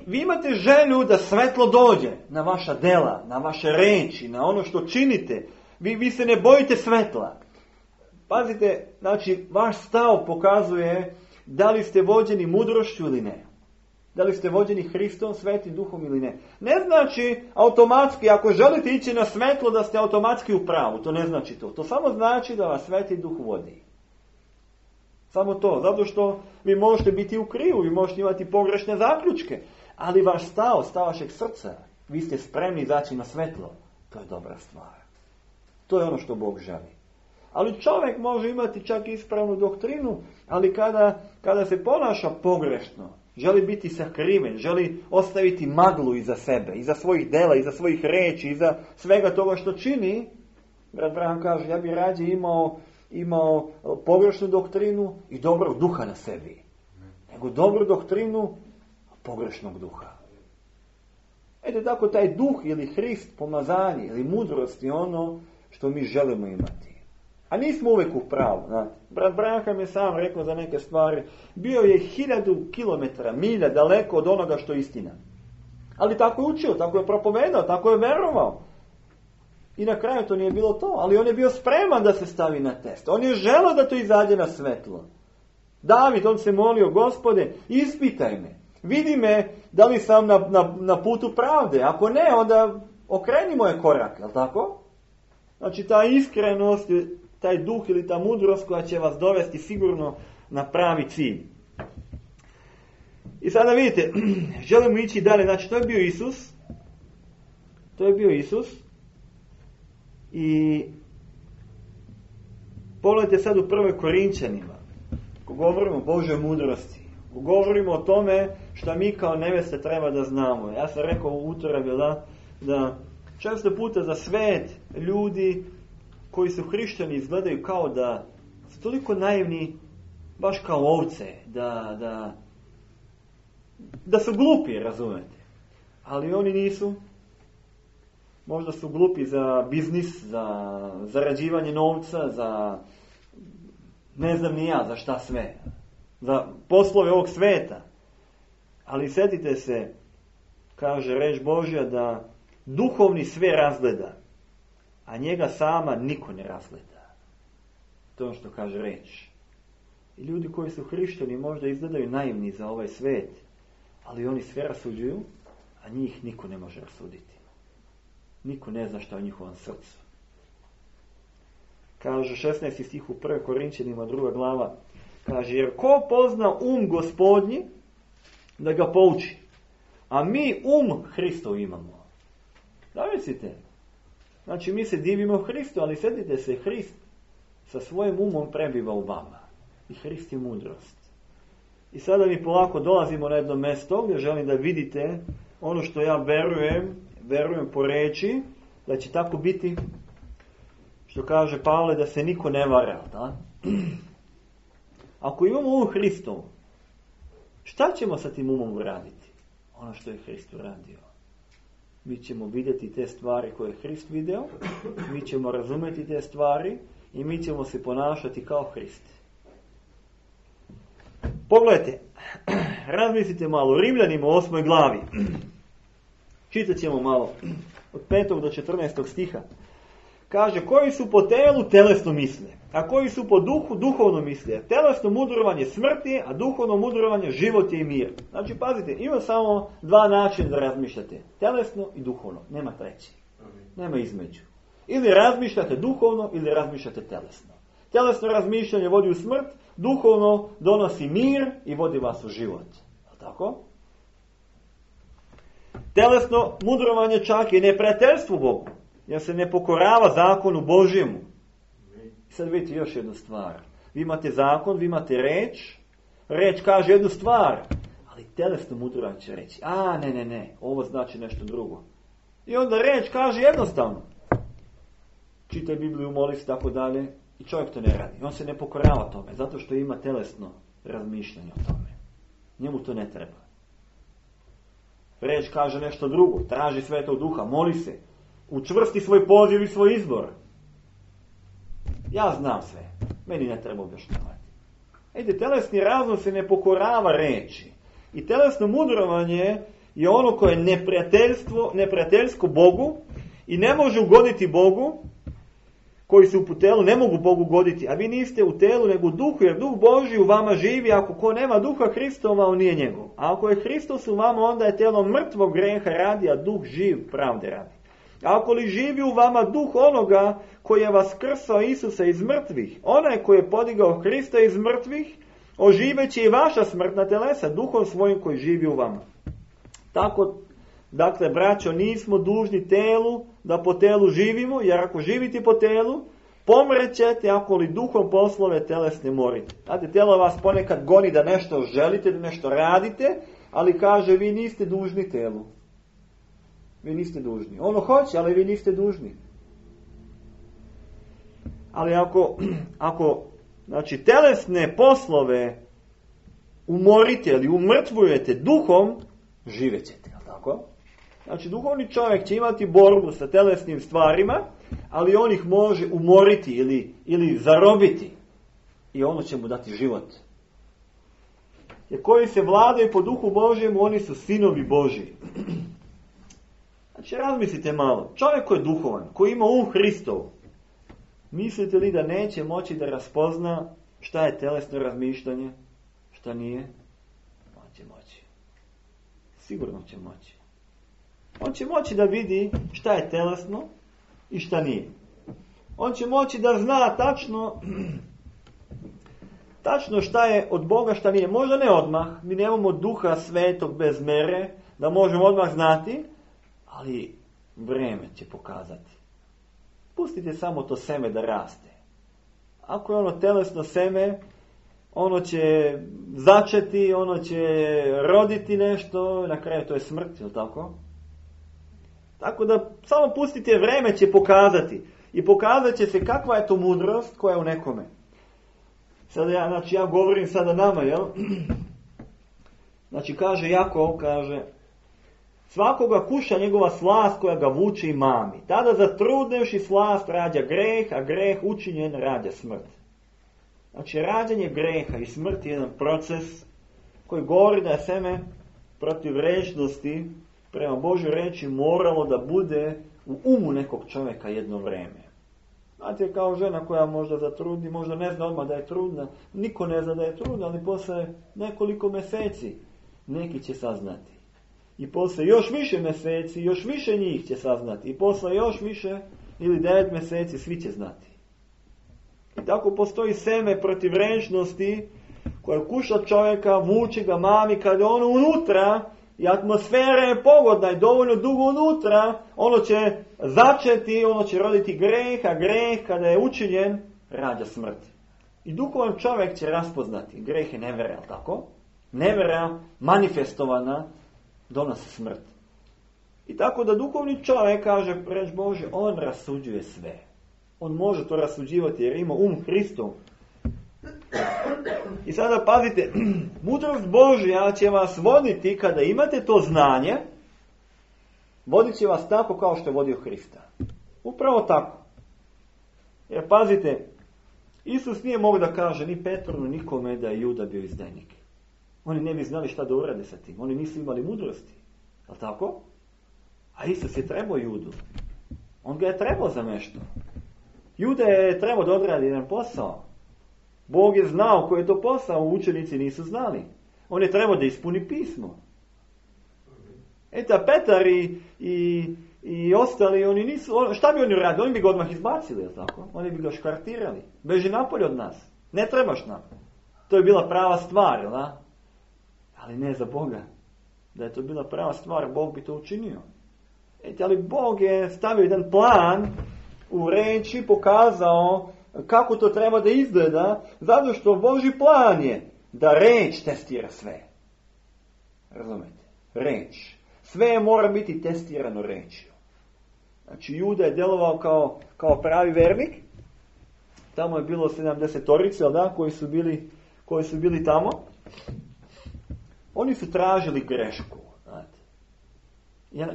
vi imate želju da svetlo dođe na vaša dela, na vaše reči, na ono što činite. Vi se ne bojite svetla. Pazite, znači, vaš stav pokazuje da li ste vođeni mudrošću ili ne. Da li ste vođeni Hristom, Svetim Duhom ili ne. Ne znači automatski, ako želite ići na svetlo, da ste automatski u pravu. To ne znači to. To samo znači da vas Sveti Duh vodi. Samo to. Zato što vi možete biti u krivu, vi možete imati pogrešne zaključke. Ali vaš stav vašeg srca, vi ste spremni izaći na svetlo. To je dobra stvar. To je ono što Bog želi. Ali čovjek može imati čak ispravnu doktrinu, ali kada se ponaša pogrešno, želi biti sakriven, želi ostaviti maglu iza sebe, iza svojih dela, iza svojih reči, iza svega toga što čini, brat Branham kaže, ja bi rađe imao pogrešnu doktrinu i dobrog duha na sebi, nego dobru doktrinu pogrešnog duha. Eto tako taj duh ili Hrist, pomazanje ili mudrost je ono što mi želimo imati. A nismo uvijek u pravu. Brat Branham je sam rekao za neke stvari. Bio je 1000 kilometara, milja daleko od onoga što je istina. Ali tako je učio, tako je propovedao, tako je verovao. I na kraju to nije bilo to, ali on je bio spreman da se stavi na test. On je želeo da to izađe na svetlo. David, on se molio, Gospode, ispitaj me. Vidi me da li sam na putu pravde. Ako ne, onda okreni moje korake, jel tako? Znači ta iskrenost, taj duh ili ta mudrost koja će vas dovesti sigurno na pravi cilj. I sada vidite, želimo ići dalje. Znači to je bio Isus. To je bio Isus. I pogledajte sad u 1. Korinčanima. Ko govorimo o Božoj mudrosti. Ko govorimo o tome što mi kao neveste treba da znamo. Ja sam rekao u utorak da često puta za svet ljudi koji su hrišćani izgledaju kao da su toliko naivni, baš kao ovce, da su glupi, razumete. Ali oni nisu. Možda su glupi za biznis, za zarađivanje novca, za ne znam ni ja za šta sve. Za poslove ovog sveta. Ali sjetite se, kaže reč Božja, da duhovni sve razgleda, a njega sama niko ne razgleda. To je ono što kaže reč. I ljudi koji su hrišćani možda izgledaju naivni za ovaj svet, ali oni sve rasuđuju, a njih niko ne može rasuditi. Niko ne zna šta je u njihovom srcu. Kaže 16. stih u 1. Korinčanima 2. glava. Kaže, jer ko pozna Gospodnji da ga pouči? A mi Hristov imamo. Da mislite? Znači mi se divimo Hristu, ali sjetite se, Hrist sa svojim umom prebiva u vama. I Hrist je mudrost. I sada mi polako dolazimo na jedno mjesto gdje želim da vidite ono što ja verujem po reči, da će tako biti, što kaže Pavle, da se niko ne vara. Da? Ako imamo Hristov, šta ćemo sa tim umom uraditi? Ono što je Hrist uradio. Mi ćemo vidjeti te stvari koje je Hrist video, mi ćemo razumjeti te stvari i mi ćemo se ponašati kao Hrist. Pogledajte, razmislite malo, Rimljanima u 8. glavi. Čitat ćemo malo, od 5. do 14. stiha. Kaže, koji su po telu telesno misle, a koji su po duhu duhovno misle. Telesno mudrovanje smrti, a duhovno mudrovanje život je i mir. Znači, pazite, ima samo dva načina da razmišljate. Telesno i duhovno. Nema treći. Nema između. Ili razmišljate duhovno, ili razmišljate telesno. Telesno razmišljanje vodi u smrt, duhovno donosi mir i vodi vas u život. Tako? Telesno mudrovanje čak je neprijateljstvo Bogu, jer se ne pokorava zakonu Božjemu. Sad vidite još jednu stvar. Vi imate zakon, vi imate reč. Reč kaže jednu stvar, ali telesno mudrovanje će reći, ne, ovo znači nešto drugo. I onda reč kaže jednostavno. Čitaj Bibliju, moli se, tako dalje. I čovjek to ne radi. On se ne pokorava tome, zato što ima telesno razmišljanje o tome. Njemu to ne treba. Reč kaže nešto drugo. Traži Svetog Duha, moli se. Učvrsti svoj poziv i svoj izbor. Ja znam sve. Meni ne treba objašnjavati. Telesni razum se ne pokorava reči. I telesno mudrovanje je ono koje je neprijateljsko Bogu i ne može ugoditi Bogu. Koji su u telu ne mogu Bogu goditi, a vi niste u telu nego u duhu, jer duh Božji u vama živi, ako ko nema duha Hristova, on nije njegov. A ako je Hristos u vama, onda je telo mrtvo greha radi, a duh živ pravde radi. A ako li živi u vama duh onoga koji je vas krsao Isusa iz mrtvih, onaj koji je podigao Hrista iz mrtvih, oživeće i vaša smrtna telesa, duhom svojim koji živi u vama. Tako, dakle, braćo, nismo dužni telu da po telu živimo, jer ako živite po telu, pomrećete ako li duhom poslove telesne morite. Znate, telo vas ponekad goni da nešto želite, da nešto radite, ali kaže, vi niste dužni telu. Vi niste dužni. Ono hoće, ali vi niste dužni. Ali ako znači, telesne poslove umorite ili umrtvujete duhom, živećete, je li tako? Znači, duhovni čovjek će imati borbu sa telesnim stvarima, ali on ih može umoriti ili zarobiti. I ono će mu dati život. Jer koji se vladaju po duhu Božjemu, oni su sinovi Božji. Znači, razmislite malo. Čovjek koji je duhovan, koji ima Hristov, mislite li da neće moći da raspozna šta je telesno razmišljanje, šta nije? On će moći. Sigurno će moći. On će moći da vidi šta je telesno i šta nije. On će moći da zna tačno šta je od Boga, šta nije. Možda ne odmah, mi nemamo Duha Svetog bez mere, da možemo odmah znati, ali vrijeme će pokazati. Pustite samo to seme da raste. Ako je ono telesno seme, ono će začeti, ono će roditi nešto, na kraju to je smrt, je li tako? Tako da samo pustite, vrijeme će pokazati. I pokazat će se kakva je to mudrost koja je u nekome. Sada ja govorim sada nama, jel? Znači kaže Jakov, svakoga kuša njegova slast koja ga vuče i mami. Tada zatrudnevši slast rađa greh, a greh učinjen rađa smrt. Znači rađanje greha i smrt je jedan proces koji govori da je seme protiv rečnosti prema Božoj reči moralo da bude u umu nekog čovjeka jedno vrijeme. Znate, kao žena koja možda zatrudni, možda ne zna odmah da je trudna, niko ne zna da je trudna, ali posle nekoliko mjeseci neki će saznati. I posle još više mjeseci, još više njih će saznati. I posle još više ili 9 mjeseci svi će znati. I tako postoji seme protiv rečnosti koja kuša čovjeka, vuče ga, mami, kad je ono unutra i atmosfera je pogodna i dovoljno dugo unutra, ono će začeti, ono će roditi greh, a greh kada je učinjen, rađa smrt. I duhovan čovjek će raspoznati, greh je nevera, tako? Nevera manifestovana donosi smrt. I tako da duhovni čovjek, kaže reč Bože, on rasuđuje sve. On može to rasuđivati jer ima Hristov. I sada pazite, mudrost Božja će vas voditi kada imate to znanje, vodit će vas tako kao što je vodio Hrista. Upravo tako. Jer pazite, Isus nije mogao da kaže ni Petru, nikome da je Juda bio izdajnik. Oni ne bi znali šta da urade sa tim. Oni nisu imali mudrosti. Je li tako? A Isus je trebao Judu. On ga je trebao za nešto. Juda je trebao da odradi jedan posao. Bog je znao koji je to posao, učenici nisu znali. On je trebao da ispuni pismo. A Petar i ostali, oni nisu, šta bi oni radili? Oni bi ga odmah izbacili, je tako? Oni bi ga škartirali. Beži napolje od nas. Ne trebaš nam. To je bila prava stvar, jel da? Ali ne za Boga. Da je to bila prava stvar, Bog bi to učinio. Ali Bog je stavio jedan plan u reči, pokazao kako to treba da izgleda, zato što Božji plan je da reč testira sve. Razumete? Reč. Sve mora biti testirano rečju. Znači, Juda je djelovao kao pravi vernik. Tamo je bilo 70-torice, koji su bili tamo. Oni su tražili grešku. Znate.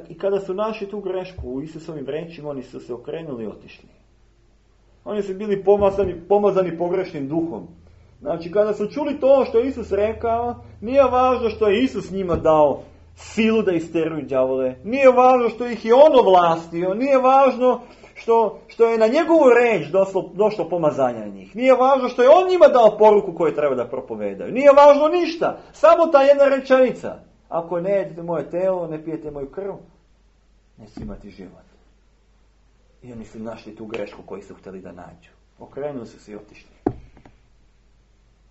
I kada su našli tu grešku u Isusovim rečima, oni su se okrenuli i otišli. Oni su bili pomazani pogrešnim duhom. Znači, kada su čuli to što je Isus rekao, nije važno što je Isus njima dao silu da isteruju đavole. Nije važno što ih je on ovlastio. Nije važno što je na njegovu reč došlo pomazanje na njih. Nije važno što je on njima dao poruku koju treba da propovedaju. Nije važno ništa. Samo ta jedna rečenica. Ako ne jedete moje telo, ne pijete moju krv, neće imati život. I oni su našli tu grešku koju su htjeli da nađu. Okrenuli su se i otišli.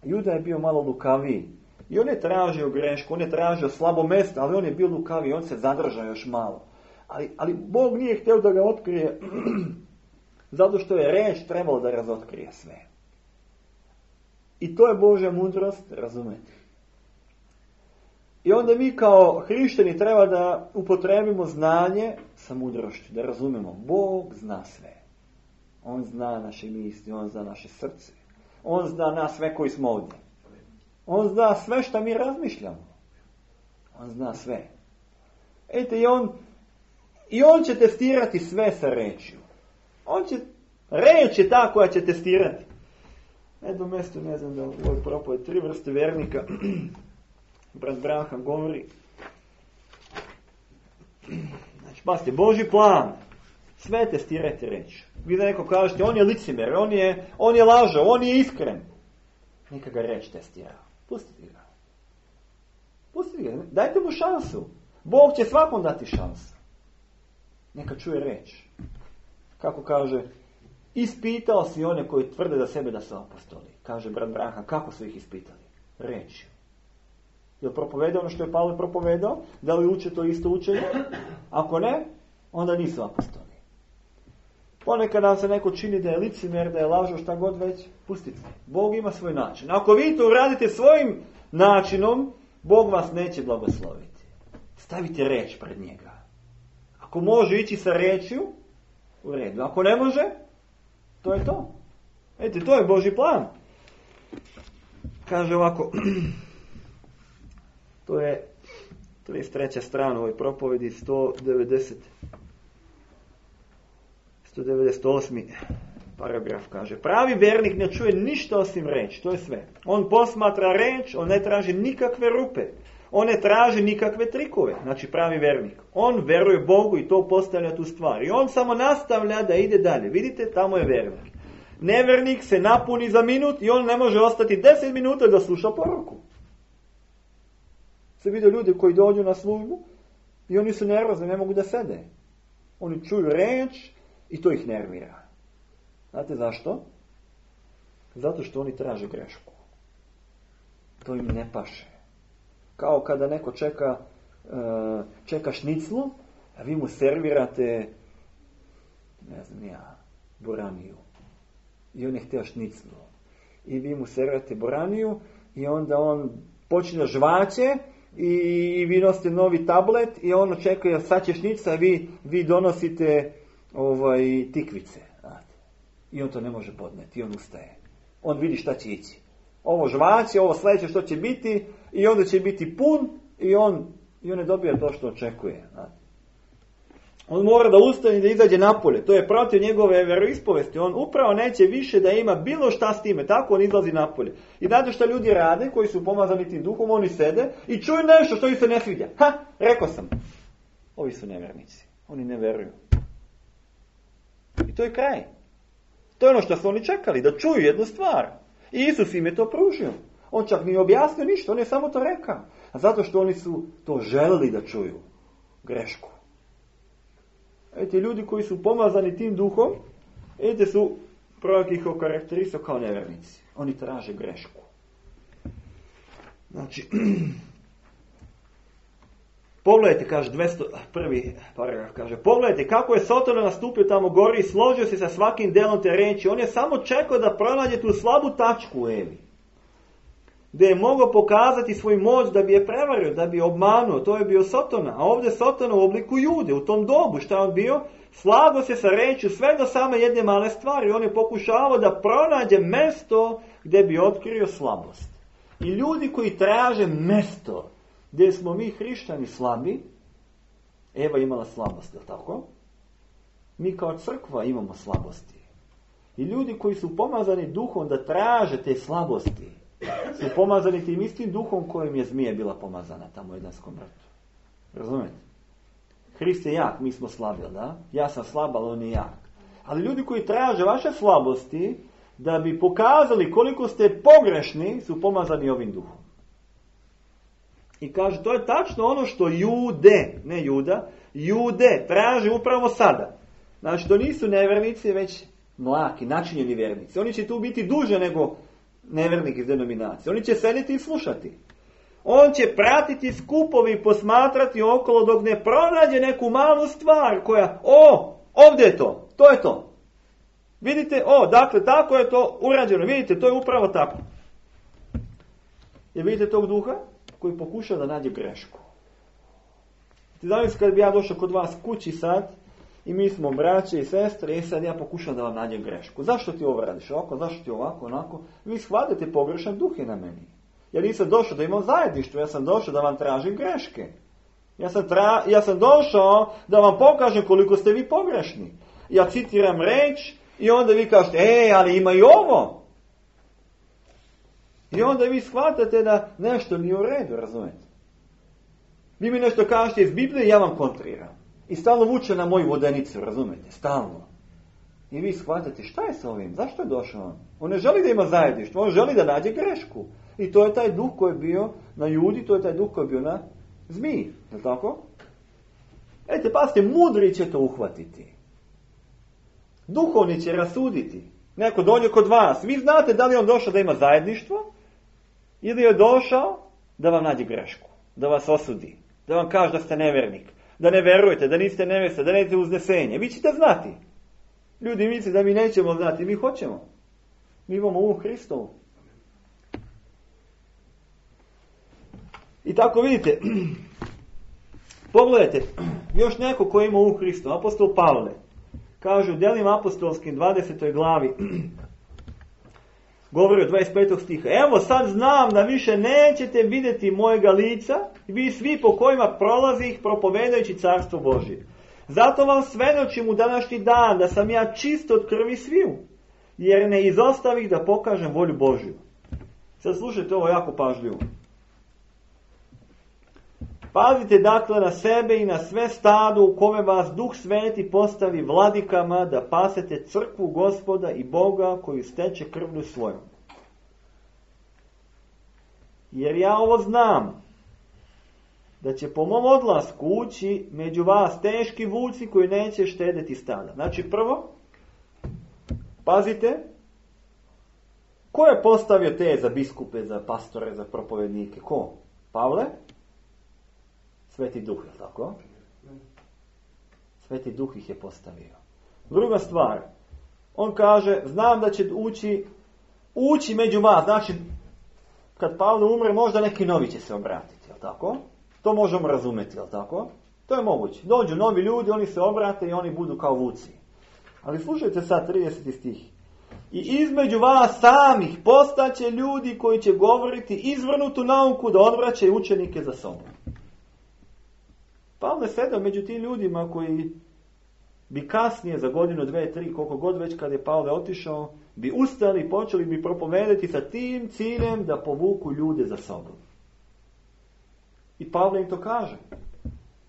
Juda je bio malo lukaviji. I on je tražio grešku, on je tražio slabo mjesto, ali on je bio lukaviji, on se zadržao još malo. Ali Bog nije htio da ga otkrije, zato što je reč trebalo da razotkrije sve. I to je Božja mudrost, razumete? I onda mi kao hrišćani treba da upotrebimo znanje sa mudrošću, da razumemo. Bog zna sve. On zna naše misli, on zna naše srce. On zna nas sve koji smo ovdje. On zna sve što mi razmišljamo. On zna sve. I on će testirati sve sa rečju. Reč je ta koja će testirati. Jedno mjesto, ne znam da u ovoj propovedi 3 vrste vernika. Brat Branham govori. Znači, pazite, Božji plan. Sve testirajte reč. Vi da neko kažete, on je licemjer, on je lažao, on je iskren. Neka ga reč testira. Pustite ga. Pustite ga. Dajte mu šansu. Bog će svakom dati šansu. Neka čuje reč. Kako kaže, ispitao si one koji tvrde za sebe da su apostoli. Kaže brat Branham, kako su ih ispitali? Reč. Jel propovedao ono što je Pavle propovedao? Da li uče to isto učenje? Ako ne, onda nisu apostoli. Ponekad nam se neko čini da je licemjer, da je lažo, šta god već, pustite. Bog ima svoj način. Ako vi to uradite svojim načinom, Bog vas neće blagosloviti. Stavite reč pred njega. Ako može ići sa rečju, u redu. Ako ne može, to je to. Vidite, to je Božji plan. Kaže ovako, to je 33. strana u ovoj propovedi, 198. paragraf kaže. Pravi vernik ne čuje ništa osim reč, to je sve. On posmatra reč, on ne traži nikakve rupe. On ne traži nikakve trikove, znači pravi vernik. On veruje Bogu i to postavlja tu stvar. I on samo nastavlja da ide dalje. Vidite, tamo je vernik. Nevernik se napuni za minut i on ne može ostati 10 minuta da sluša poruku. Se vide ljudi koji dođu na službu i oni su nervozni, ne mogu da sede. Oni čuju reč i to ih nervira. Znate zašto? Zato što oni traže grešku. To im ne paše. Kao kada neko čeka šniclu, a vi mu servirate, ne znam ja, boraniju. I on je htio šniclu. I vi mu servirate boraniju i onda on počne žvaće i vi nosite novi tablet i on očekuje sad će šnica, a vi donosite tikvice. I on to ne može podneti i on ustaje. On vidi šta će ići. Ovo žvaće, ovo sljedeće što će biti i onda će biti pun i on ne dobija to što očekuje. On mora da ustane i da izađe napolje. To je protiv njegove vjeroispovesti. On upravo neće više da ima bilo šta s time. Tako on izlazi napolje. I znate šta ljudi rade koji su pomazani tim duhom? Oni sede i čuju nešto što im se ne sviđa. Rekao sam. Ovi su nevjernici. Oni ne veruju. I to je kraj. To je ono što su oni čekali. Da čuju jednu stvar. I Isus im je to pružio. On čak nije objasnio ništa. On je samo to rekao. A zato što oni su to želeli da čuju. Grešku. Ljudi koji su pomazani tim duhom, su prorok ih okarakterisao kao nevjernici. Oni traže grešku. Znači, pogledajte, kaže 201. paragraf, kaže, pogledajte kako je Sotona nastupio tamo gori i složio se sa svakim delom te reči. On je samo čekao da pronađe tu slabu tačku u Evi. Gdje je mogao pokazati svoj moć da bi je prevario, da bi je obmanuo. To je bio Sotona. A ovdje Sotona u obliku Jude. U tom dobu šta je on bio? Slago se sa rečju sve do same jedne male stvari. On je pokušavao da pronađe mesto gdje bi otkrio slabost. I ljudi koji traže mesto gdje smo mi hrišćani slabi, Eva imala slabost, je li tako? Mi kao crkva imamo slabosti. I ljudi koji su pomazani duhom da traže te slabosti, su pomazani tim istim duhom kojim je zmija bila pomazana tamo u Edenskom vrtu. Razumijete? Hrist je jak, mi smo slabi, da? Ja sam slab, ali on je jak. Ali ljudi koji traže vaše slabosti da bi pokazali koliko ste pogrešni, su pomazani ovim duhom. I kaže, to je tačno ono što Jude, ne Juda, Jude traže upravo sada. Znači, to nisu nevjernici, već mlaki, načinjeni vjernici. Oni će tu biti duže nego nevjernik iz denominacije. Oni će sediti i slušati. On će pratiti skupovi i posmatrati okolo dok ne pronađe neku malu stvar koja, ovdje je to, to je to. Vidite, dakle, tako je to urađeno. Vidite, to je upravo tako. Jer vidite tog duha koji pokuša da nađe grešku. Ti znam kad bi ja došao kod vas kući sad i mi smo braće i sestre i sad ja pokušam da vam nađem grešku. Zašto ti ovo radiš ovako, zašto ti ovako, onako? Vi shvatite pogrešan duh je na meni. Ja nisam došao da imam zajedništvo, ja sam došao da vam tražim greške. Ja sam došao da vam pokažem koliko ste vi pogrešni. Ja citiram reč i onda vi kažete, ali ima i ovo. I onda vi shvatate da nešto nije u redu, razumijete? Vi mi nešto kažete iz Biblije, ja vam kontriram. I stalno vuče na moju vodenicu, razumijete? Stalno. I vi shvatate, šta je sa ovim? Zašto je došao? On ne želi da ima zajedništvo, on želi da nađe grešku. I to je taj duh koji je bio na Judi, to je taj duh koji je bio na zmiji. Je li tako? Pazite, mudri će to uhvatiti. Duhovni će rasuditi. Neko dođe kod vas. Vi znate da li je on došao da ima zajedništvo ili je došao da vam nađe grešku. Da vas osudi. Da vam kaže da ste nevjernik. Da ne verujete, da niste nevjesta, da nećete uznesenje. Vi ćete znati. Ljudi misle da mi nećemo znati. Mi hoćemo. Mi imamo Hristovu. I tako vidite, pogledajte, još neko ko ima Hristovu, apostol Pavle, kaže u Djelima apostolskim 20. glavi, govori o 25. stiha, evo sad znam da više nećete vidjeti mojega lica, vi svi po kojima prolazih propovedajući carstvo Božje. Zato vam svedočim u današnji dan da sam ja čist od krvi sviju, jer ne izostavih da pokažem volju Božju. Sad slušajte ovo jako pažljivo. Pazite dakle na sebe i na sve stado u kome vas Duh Sveti postavi vladikama da pasete crkvu Gospoda i Boga koju steče krvlju svojom. Jer ja ovo znam, da će po mom odlasku ući među vas teški vuci koji neće štedeti stada. Znači prvo, pazite, ko je postavio te za biskupe, za pastore, za propovednike? Ko? Pavle? Sveti Duh, je tako? Sveti Duh ih je postavio. Druga stvar, on kaže, znam da će ući među vas. Znači, kad Pavle umre, možda neki novi će se obratiti, je tako? To možemo razumjeti, je tako? To je moguće. Dođu novi ljudi, oni se obrate i oni budu kao vuci. Ali slušajte sad 30. stih. I između vas samih postaće ljudi koji će govoriti izvrnutu nauku da odvraćaju učenike za sobom. Pavle sedao među tim ljudima koji bi kasnije, za godinu, 2, 3, koliko god već kad je Pavle otišao, bi ustali i počeli bi propovedati sa tim ciljem da povuku ljude za sobom. I Pavle im to kaže.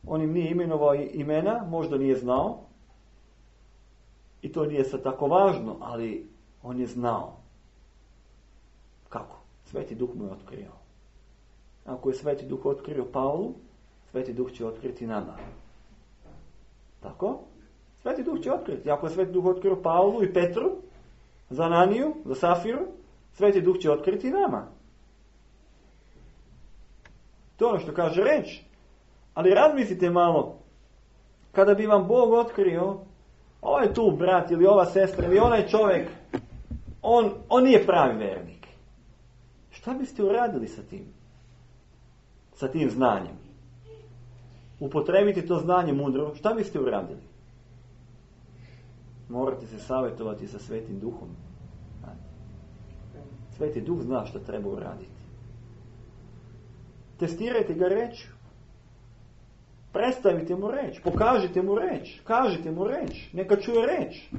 On im nije imenovao imena, možda nije znao. I to nije sad tako važno, ali on je znao. Kako? Sveti Duh mu je otkrio. Ako je Sveti Duh otkrio Pavlu, Sveti Duh će otkriti nama. Tako? Sveti Duh će otkriti. Ako je Sveti Duh otkrio Pavlu i Petru, za Ananiju, za Safiru, Sveti Duh će otkriti nama. To je ono što kaže reč. Ali razmislite malo, kada bi vam Bog otkrio, ovaj tu brat ili ova sestra ili onaj čovjek, on nije pravi vernik. Šta biste uradili sa tim? Sa tim znanjem? Upotrebite to znanje mudro, šta biste uradili? Morate se savjetovati sa Svetim Duhom. Sveti Duh zna što treba uraditi. Testirajte ga rečju. Predstavite mu reč, pokažite mu reč, kažite mu reč, neka čuje reč.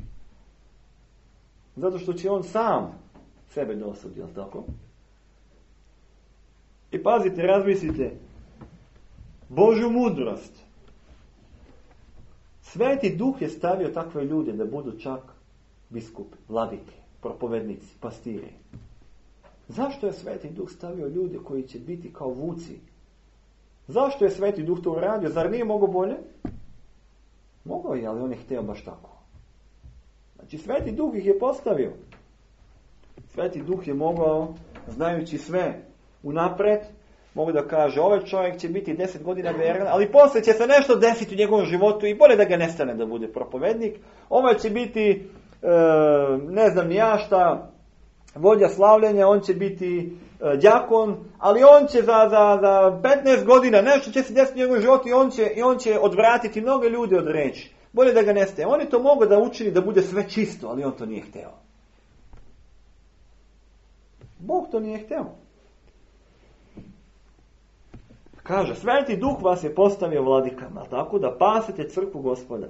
Zato što će on sam sebe dosudi, jel tako? I pazite, razmislite, Božju mudrost. Sveti Duh je stavio takve ljude da budu čak biskupi, vladike, propovednici, pastiri. Zašto je Sveti Duh stavio ljude koji će biti kao vuci? Zašto je Sveti Duh to uradio? Zar nije mogao bolje? Mogao je, ali on je htio baš tako. Znači, Sveti Duh ih je postavio. Sveti Duh je mogao, znajući sve unapred, mogu da kaže, ovaj čovjek će biti 10 godina vjeran, ali poslije će se nešto desiti u njegovom životu i bolje da ga nestane da bude propovednik. Ovaj će biti, ne znam ni ja šta, vodja slavljenja, on će biti đakon, ali on će za 15 godina nešto će se desiti u njegovom životu i on će odvratiti mnoge ljude od reči. Bolje da ga nestaje. On je to mogao da učini da bude sve čisto, ali on to nije hteo. Bog to nije hteo. Kaže, Sveti Duh vas je postavio vladikama, tako da pasete crkvu Gospoda.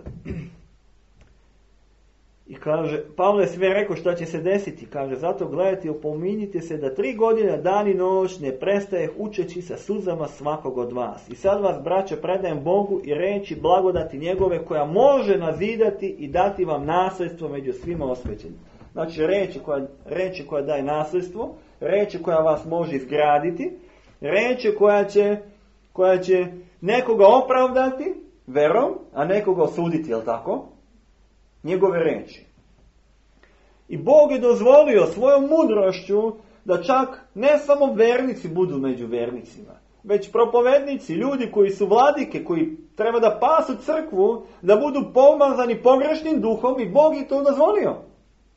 I kaže, Pavle sve rekao šta će se desiti. Kaže, zato gledajte i opominjite se da 3 godine, dan i noć ne prestaje učeći sa suzama svakog od vas. I sad vas, braćo, predajem Bogu i reći blagodati njegove koja može nazidati i dati vam nasljedstvo među svima osvećenim. Znači, reči koja daje nasljedstvo, reči koja vas može izgraditi, reči koja će nekoga opravdati verom, a nekoga osuditi, jel tako? Njegove reči. I Bog je dozvolio svojom mudrošću da čak ne samo vernici budu među vernicima, već propovednici, ljudi koji su vladike, koji treba da pasu crkvu, da budu pomazani pogrešnim duhom i Bog je to dozvolio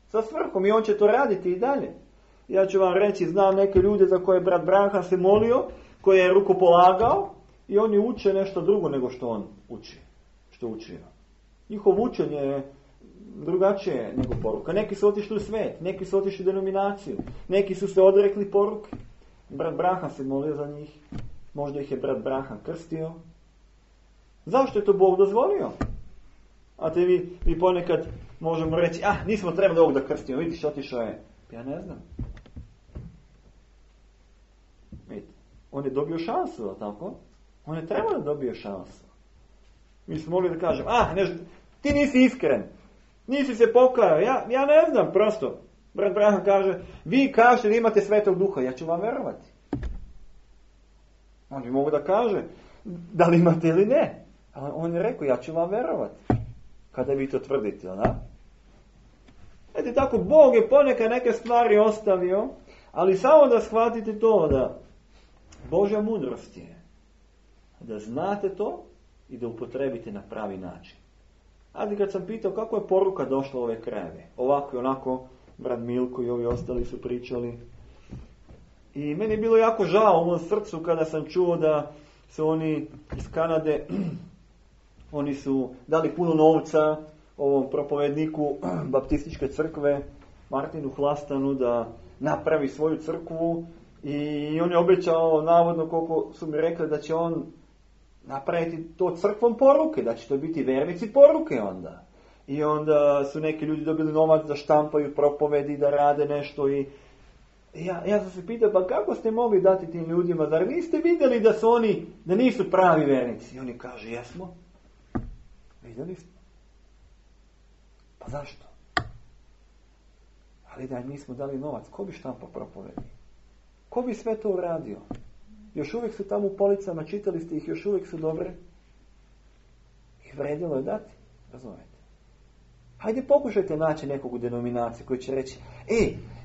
sa svrhom i on će to raditi i dalje. Ja ću vam reći, znam neke ljude za koje brat Branhan se molio, koje je rukopolagao i oni uče nešto drugo nego što on uči, što učio. Njihov učenje je drugačije nego poruka. Neki su otišli u svet, neki su otišli u denominaciju, neki su se odrekli poruke. Brat Branhan se molio za njih, možda ih je brat Branhan krstio. Zašto je to Bog dozvolio? A te vi ponekad možemo reći, nismo trebali ovog da krstimo, vidiš, otišao je. Ja ne znam. Vidite, on je dobio šansu, tako? On je trebao da dobije šansu. Mi smo mogli da kažem, ti nisi iskren, nisi se pokajao, ja ne znam, prosto. Brat Branhan kaže, vi kažete da imate Svetog Duha, ja ću vam verovati. On bi mogu da kaže, da li imate ili ne. A on je rekao, ja ću vam verovati. Kada vi to tvrdite, da? Eto tako, Bog je ponekad neke stvari ostavio, ali samo da shvatite to, da Božja mudrost je da znate to i da upotrebite na pravi način. Ali kad sam pitao kako je poruka došla u ove krajeve, ovako i onako, brat Milko i ovi ostali su pričali. I meni je bilo jako žao u mom srcu kada sam čuo da su oni iz Kanade, oni su dali puno novca ovom propovedniku baptističke crkve, Martinu Hlastanu, da napravi svoju crkvu i on je obećao, navodno koliko su mi rekli, da će on napraviti to crkvom poruke, da će to biti vernici poruke onda. I onda su neki ljudi dobili novac da štampaju propovedi, da rade nešto i ja sam se pitao, pa kako ste mogli dati tim ljudima, zar niste vidjeli da su oni, da nisu pravi vernici? I oni kaže, jesmo. Vidjeli smo. Pa zašto? Ali da nismo dali novac, ko bi štampao propovedi? Ko bi sve to uradio? Još uvijek su tamo u policama, čitali ste ih, još uvijek su dobre. I vredilo je dati, razumijete? Hajde pokušajte naći nekog u denominaciji koji će reći,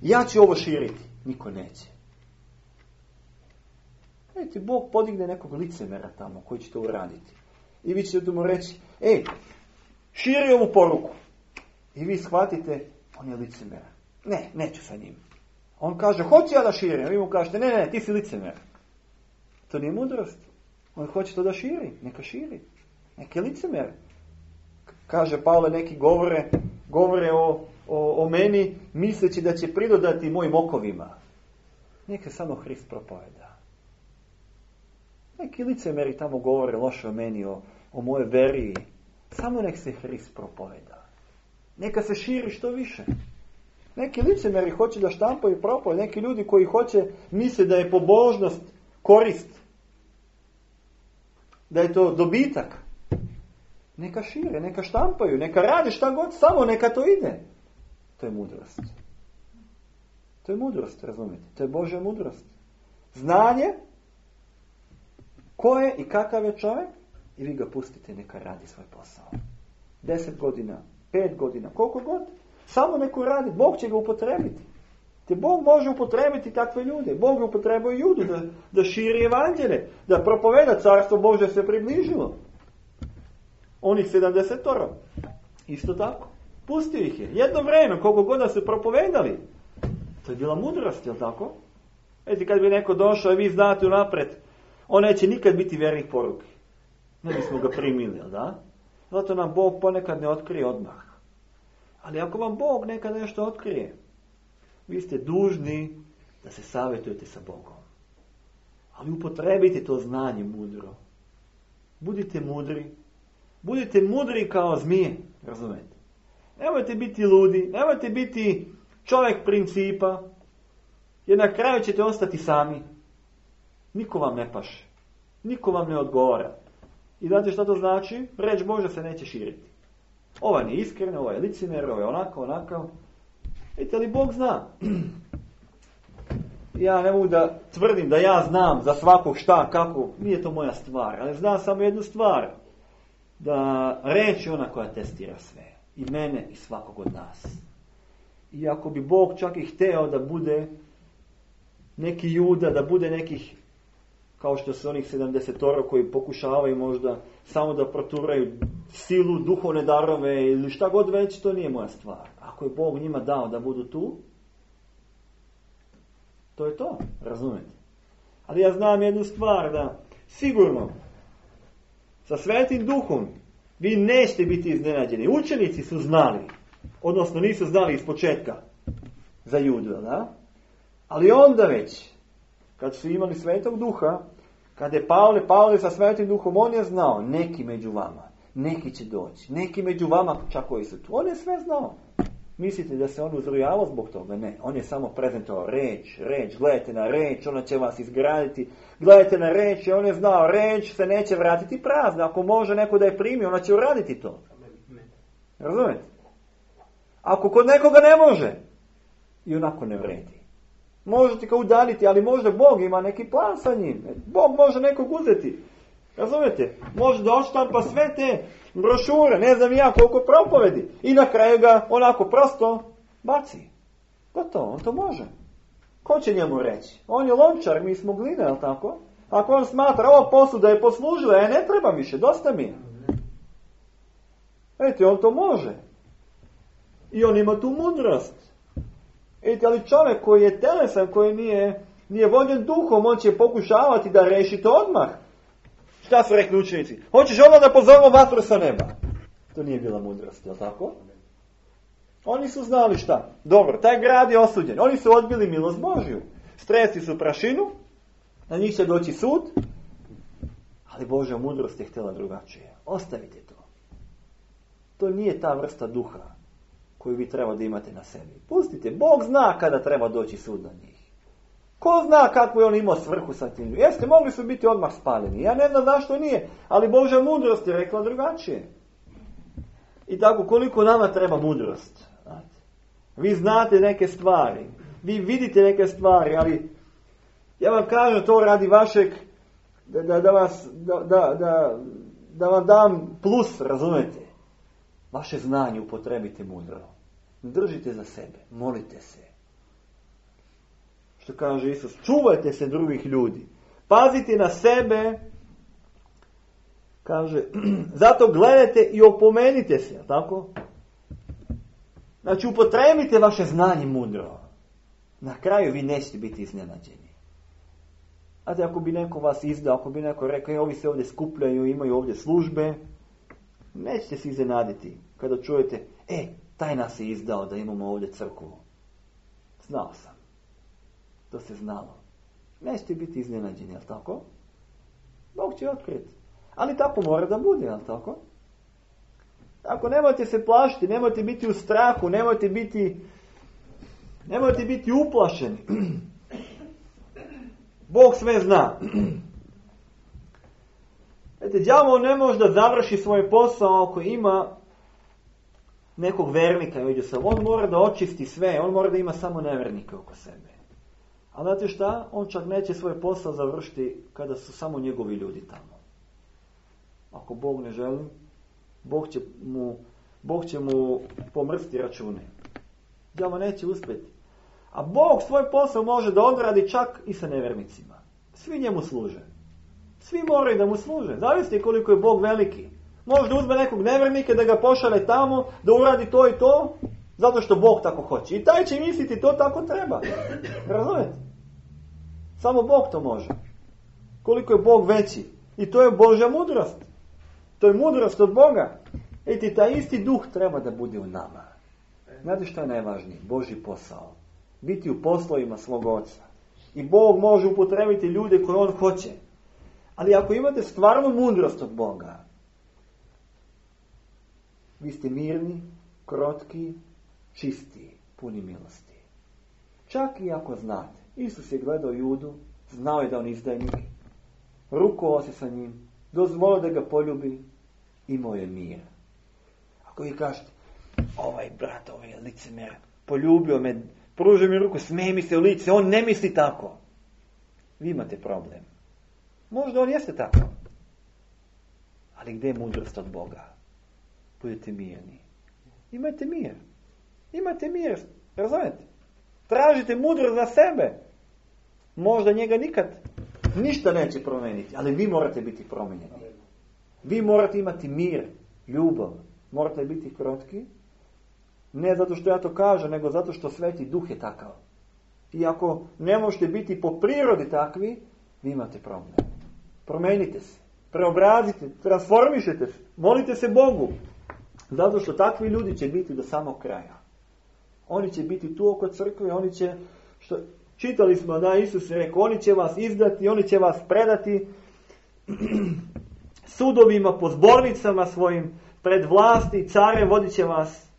ja ću ovo širiti. Niko neće. Vidite, Bog podigne nekog licemera tamo koji će to uraditi. I vi ćete mu reći, širi ovu poruku. I vi shvatite, on je licemera. Ne, neću sa njim. On kaže, hoću ja da širim. A vi mu kažete, ne, ti si licemer. To nije mudrost. On hoće to da širi. Neka širi. Neka je licemer. Kaže Pavle, neki govore o meni, misleći da će pridodati mojim okovima. Neka samo Hrist propoveda. Neki licemeri tamo govore loše o meni, o moje veri. Samo nek se Hrist propoveda. Neka se širi što više. Neki licemeri hoće da štampaju propoved. Neki ljudi koji misle da je pobožnost korist. Da je to dobitak. Neka šire, neka štampaju, neka rade šta god, samo neka to ide. To je mudrost. To je mudrost, razumijete? To je Božja mudrost. Znanje, ko je i kakav je čovjek, i vi ga pustite neka radi svoj posao. 10 godina, 5 godina, koliko god, samo neko radi, Bog će ga upotrebiti. Te Bog može upotrebiti takve ljude. Bog je upotrebio Judu da širi evanđelje, da propoveda, Carstvo Božje se približilo. Oni 70, isto tako. Pustio ih je. Jedno vrijeme, koliko god da su propovedali. To je bila mudrost, jel tako? Vidite, kad bi neko došao i vi znate unaprijed, on neće nikad biti vjernik poruke. Ne bismo ga primili, jel da? Zato nam Bog ponekad ne otkrije odmah. Ali ako vam Bog nekad nešto otkrije, vi ste dužni da se savjetujete sa Bogom. Ali upotrebite to znanje mudro. Budite mudri. Budite mudri kao zmije, razumijete? Nemojte biti ludi, nemojte biti čovjek principa, jer na kraju ćete ostati sami. Niko vam ne paše. Niko vam ne odgovara. I znate što to znači? Reč Božja se neće širiti. Ovaj nije iskren, ovaj je licemjer, ovaj je onakav. Vidite li, Bog zna. Ja ne mogu da tvrdim da ja znam za svakog šta, kako. Nije to moja stvar. Ali znam samo jednu stvar. Da reč je ona koja testira sve. I mene i svakog od nas. I ako bi Bog čak i hteo da bude neki Juda, da bude nekih, kao što su onih 70 koji pokušavaju možda samo da proturaju silu, duhovne darove ili šta god već, to nije moja stvar. Ako je Bog njima dao da budu tu, to je to, razumete? Ali ja znam jednu stvar, da sigurno sa Svetim Duhom vi nećete biti iznenađeni. Učenici su znali, odnosno nisu znali iz početka za Judu, da? Ali onda već, kad su imali Svetog Duha, kad je Pavle sa Svetim Duhom, on je znao, neki među vama, neki će doći, neki među vama čak koji su tu. On je sve znao. Mislite da se on uzrujavao zbog toga? Ne. On je samo prezentovao reč, gledajte na reč, ona će vas izgraditi. Gledajte na reč i on je znao, reč se neće vratiti prazna. Ako može neko da je primi, ona će uraditi to. Razumete? Ako kod nekoga ne može, i onako ne vredi. Možete ga udaljiti, ali možda Bog ima neki plan sa njim. Bog može nekog uzeti. Razumete? Može da odštampa sve te brošure, ne znam ja koliko propovedi. I na kraju ga onako prosto baci. Gotovo, on to može. Ko će njemu reći? On je lončar, mi smo glina, je li tako? Ako on smatra, ova posuda je poslužila, ne treba više, dosta mi je. Vidite, on to može. I on ima tu mudrost. Vidite, ali čovjek koji je telesan, koji nije vođen duhom, on će pokušavati da reši to odmah. Šta su rekli učenici? Hoćeš odmah da pozovemo vatru sa neba? To nije bila mudrost, je li tako? Oni su znali šta. Dobro, taj grad je osuđen. Oni su odbili milost Božju. Stresli su prašinu, na njih će doći sud, ali Božja mudrost je htjela drugačije. Ostavite to. To nije ta vrsta duha koju vi treba da imate na sebi. Pustite, Bog zna kada treba doći sud na njih. Ko zna kakvu je on imao svrhu sa tim? Jeste, mogli su biti odmah spaljeni. Ja ne znam zašto nije, ali Božja mudrost je rekla drugačije. I tako, koliko nama treba mudrost? Vi znate neke stvari, vi vidite neke stvari, ali ja vam kažem to radi vašeg, da vam dam plus, razumete? Vaše znanje upotrebite mudro. Držite za sebe, molite se. Što kaže Isus, čuvajte se drugih ljudi. Pazite na sebe. Kaže, zato gledajte i opomenite se, tako? Znači, upotrebite vaše znanje mudro. Na kraju vi nećete biti iznenađeni. Znate, ako bi neko vas izdao, ako bi neko rekao, ovi se ovdje skupljaju, imaju ovdje službe, nećete se iznenaditi kada čujete, taj nas je izdao da imamo ovdje crkvu. Znao sam. To se znalo. Nećete biti iznenađeni, jel' tako? Bog će otkriti. Ali tako mora da bude, jel' tako? Ako nemojte se plašiti, nemojte biti u strahu, nemojte biti uplašeni. Bog sve zna. Znate, đavo ne može da završi svoj posao ako ima nekog vernika među sobom. On mora da očisti sve, on mora da ima samo nevernike oko sebe. A znate šta? On čak neće svoj posao završiti kada su samo njegovi ljudi tamo. Ako Bog ne želi, Bog će mu pomrsti račune. Đavo neće uspjeti. A Bog svoj posao može da odradi čak i sa nevernicima. Svi njemu služe. Svi moraju da mu služe. Zavisite koliko je Bog veliki. Može da uzme nekog nevernika, da ga pošalje tamo, da uradi to i to, zato što Bog tako hoće. I taj će misliti to tako treba. Razumete? Samo Bog to može. Koliko je Bog veći. I to je Božja mudrost. To je mudrost od Boga. Eti, taj isti duh treba da bude u nama. Znate što je najvažnije? Božji posao. Biti u poslovima svog Oca. I Bog može upotrebiti ljude koje On hoće. Ali ako imate stvarnu mudrost od Boga, vi ste mirni, krotki, čisti, puni milosti. Čak i ako znate. Isus je gledao Judu, znao je da on izdajnik, rukovao se sa njim, dozvolio da ga poljubi, imao je mir. Ako vi kažete, ovaj brat, ovaj licemer, poljubio me, pružio mi ruku, smeje mi se u lice, on ne misli tako. Vi imate problem. Možda on jeste tako. Ali gdje je mudrost od Boga? Budete mirni. Imajte mir. Imajte mir. Razumete? Tražite mudrost za sebe. Možda njega nikad ništa neće promijeniti. Ali vi morate biti promijenjeni. Vi morate imati mir, ljubav. Morate biti krotki. Ne zato što ja to kažem, nego zato što Sveti Duh je takav. I ako ne možete biti po prirodi takvi, vi imate problem. Promijenite se. Preobrazite, transformišete se. Molite se Bogu. Zato što takvi ljudi će biti do samog kraja. Oni će biti tu oko crkve, oni će, čitali smo da Isus je rekao, oni će vas izdati, oni će vas predati sudovima, po zbornicama svojim, pred vlasti, carem vodit će vas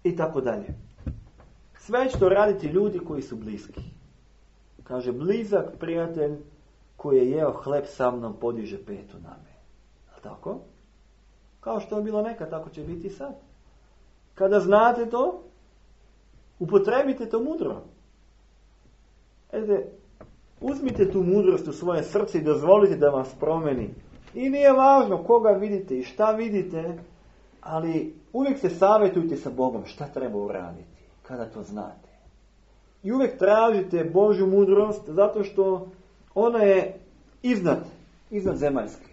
i tako dalje. Sve će to raditi ljudi koji su bliski. Kaže, blizak prijatelj koji je jeo hleb sa mnom podiže petu na me. A tako? Kao što je bilo nekad, tako će biti sad. Kada znate to, upotrebite to mudro. Uzmite tu mudrost u svoje srce i dozvolite da vas promeni. I nije važno koga vidite i šta vidite, ali uvijek se savjetujte sa Bogom šta treba uraditi, kada to znate. I uvijek tražite Božju mudrost, zato što ona je iznad zemaljske.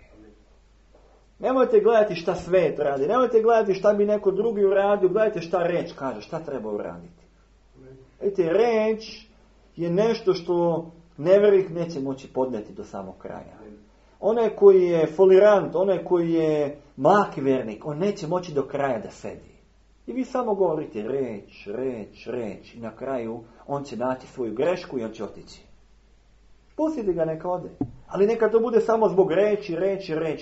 Nemojte gledati šta svet radi, nemojte gledati šta bi neko drugi uradio, gledajte šta reč kaže, šta treba uraditi. Vidite, reč je nešto što nevjernik neće moći podnijeti do samog kraja. Onaj koji je folirant, onaj koji je mlaki vjernik, on neće moći do kraja da sedi. I vi samo govorite reč i na kraju on će naći svoju grešku i on će otići. Pustite ga neka ode. Ali neka to bude samo zbog reči.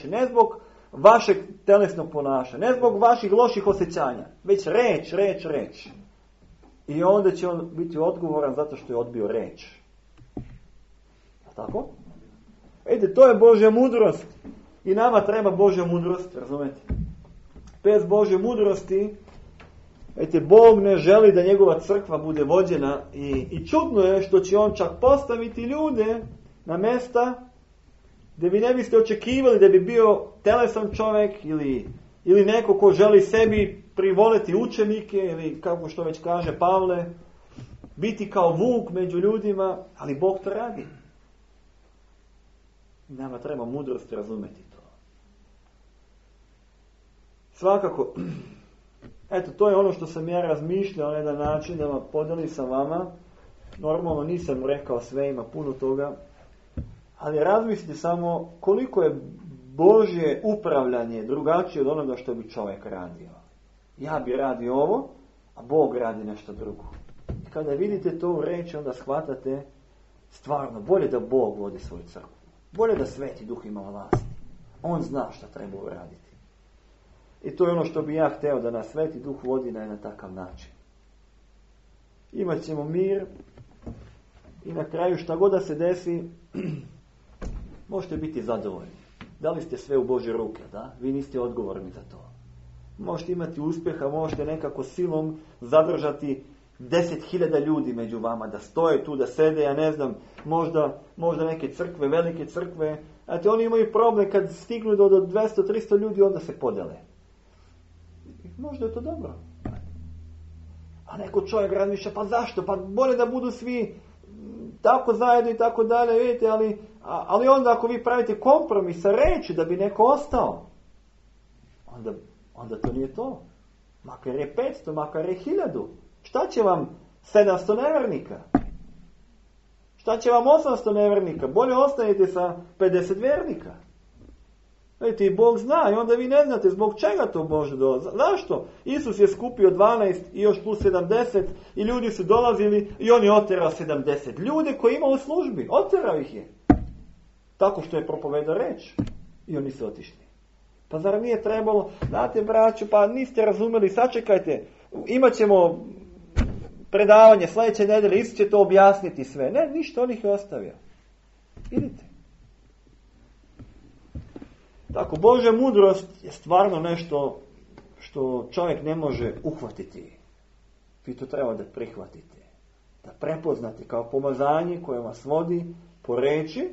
Ne zbog vašeg telesnog ponašanja, ne zbog vaših loših osjećanja, već reč. I onda će on biti odgovoran zato što je odbio reč. Tako? Vidite, to je Božja mudrost. I nama treba Božja mudrost, razumete? Bez Božje mudrosti, vidite, Bog ne želi da njegova crkva bude vođena i čudno je što će on čak postaviti ljude na mesta gdje vi ne biste očekivali da bi bio telesan čovjek ili neko ko želi sebi privoliti učenike ili kako što već kaže Pavle, biti kao vuk među ljudima, ali Bog to radi. Nama treba mudrost razumjeti to. Svakako, eto, to je ono što sam ja razmišljao na jedan način da vam podelim sa vama. Normalno nisam rekao sve, ima puno toga. Ali razmislite samo koliko je Božje upravljanje drugačije od onoga što bi čovjek radio. Ja bi radio ovo, a Bog radi nešto drugo. I kada vidite to u reči, onda shvatate stvarno bolje da Bog vodi svoju crkvu. Bolje da Sveti Duh ima vlasti. On zna šta treba uraditi. I to je ono što bi ja hteo, da nas Sveti Duh vodi na jedan takav način. Imat ćemo mir i na kraju šta god da se desi, možete biti zadovoljni. Dali ste sve u Božje ruke, da? Vi niste odgovorni za to. Možete imati uspjeha, možete nekako silom zadržati 10.000 ljudi među vama, da stoje tu, da sede, ja ne znam, možda neke crkve, velike crkve. Znate, oni imaju problem kad stignu do 200-300 ljudi, onda se podele. Možda je to dobro. A neko čovjek razmišlja, pa zašto? Pa bolje da budu svi tako zajedno i tako dalje, vidite, ali onda ako vi pravite kompromis sa reči da bi neko ostao, onda to nije to. Makar je 500, makar je 1000. Šta će vam 700 nevernika? Šta će vam 800 nevernika? Bolje ostanete sa 50 vernika. Vidite, i Bog zna i onda vi ne znate zbog čega to može dolaziti. Zašto? Isus je skupio 12 i još plus 70 i ljudi su dolazili i on je oterao 70. Ljude koji ima u službi, oterao ih je. Tako što je propovedao reč i oni su otišli. Pa zar nije trebalo, znate braću, pa niste razumeli, sačekajte, imat ćemo predavanje sljedeće nedelje, Isus će to objasniti sve. Ne, ništa, on ih je ostavio. Idite. Tako, Božja mudrost je stvarno nešto što čovjek ne može uhvatiti. Vi to treba da prihvatite. Da prepoznate kao pomazanje koje vas vodi po reči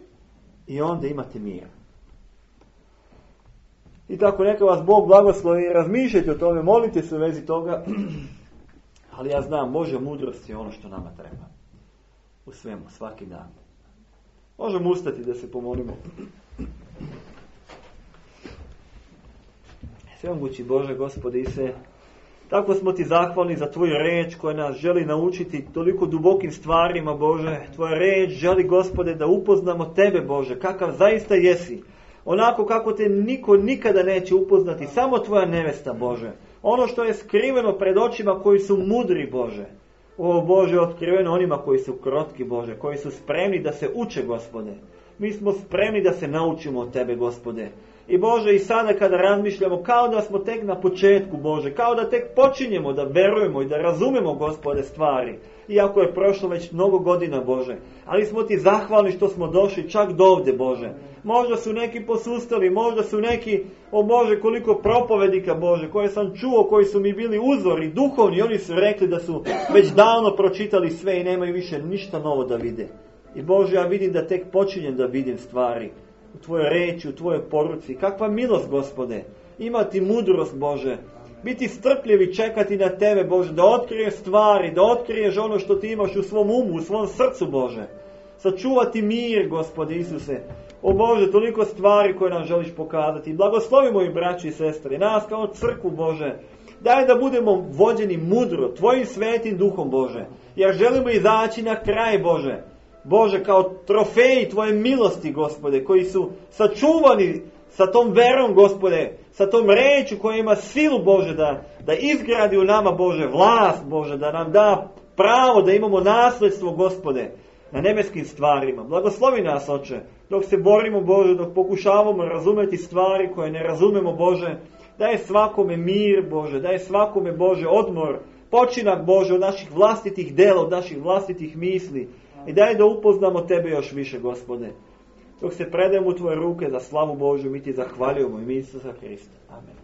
i onda imate mir. I tako, neka vas Bog blagoslovi, razmišljajte o tome, molite se u vezi toga. Ali ja znam, Božja mudrost je ono što nama treba. U svemu, svaki dan. Možemo ustati da se pomolimo. Svemogući Bože, Gospode Ise, tako smo ti zahvalni za tvoju reč koja nas želi naučiti toliko dubokim stvarima, Bože. Tvoja reč želi, Gospode, da upoznamo tebe, Bože, kakav zaista jesi. Onako kako te niko nikada neće upoznati, samo tvoja nevesta, Bože. Ono što je skriveno pred očima koji su mudri, Bože. O Bože, otkriveno onima koji su krotki, Bože, koji su spremni da se uče, Gospode. Mi smo spremni da se naučimo od tebe, Gospode. I Bože, i sada kada razmišljamo, kao da smo tek na početku, Bože, kao da tek počinjemo da verujemo i da razumemo, Gospode, stvari. Iako je prošlo već mnogo godina, Bože. Ali smo ti zahvalni što smo došli čak do ovde, Bože. Možda su neki posustali, možda su neki, o Bože, koliko propovednika, Bože, koje sam čuo, koji su mi bili uzori, duhovni, oni su rekli da su već davno pročitali sve i nemaju više ništa novo da vide. I Bože, ja vidim da tek počinjem da vidim stvari u tvojoj reči, u tvojoj poruci. Kakva milost, Gospode, imati mudrost, Bože, biti strpljivi, čekati na tebe, Bože, da otkriješ stvari, da otkriješ ono što ti imaš u svom umu, u svom srcu, Bože. Sačuvati mir, Gospode Isuse. O Bože, toliko stvari koje nam želiš pokazati. Blagoslovi moji braći i sestre, nas kao crkvu, Bože. Daj da budemo vođeni mudro, tvojim svetim duhom, Bože. Jer želimo izaći na kraj, Bože. Bože, kao trofeji tvoje milosti, Gospode, koji su sačuvani sa tom verom, Gospode, sa tom rečju koja ima silu, Bože, da izgradi u nama, Bože, vlast, Bože, da nam da pravo da imamo nasledstvo, Gospode. na nebeskim stvarima. Blagoslovi nas, Oče, dok se borimo, Bože, dok pokušavamo razumeti stvari koje ne razumemo, Bože. Daj svakome mir, Bože, daj svakome, Bože, odmor, počinak, Bože, od naših vlastitih dela, od naših vlastitih misli. I daj da upoznamo Tebe još više, Gospode. Dok se predajemo u Tvoje ruke za slavu Božju, mi Ti zahvaljujemo ime Isusa Hrista. Amen.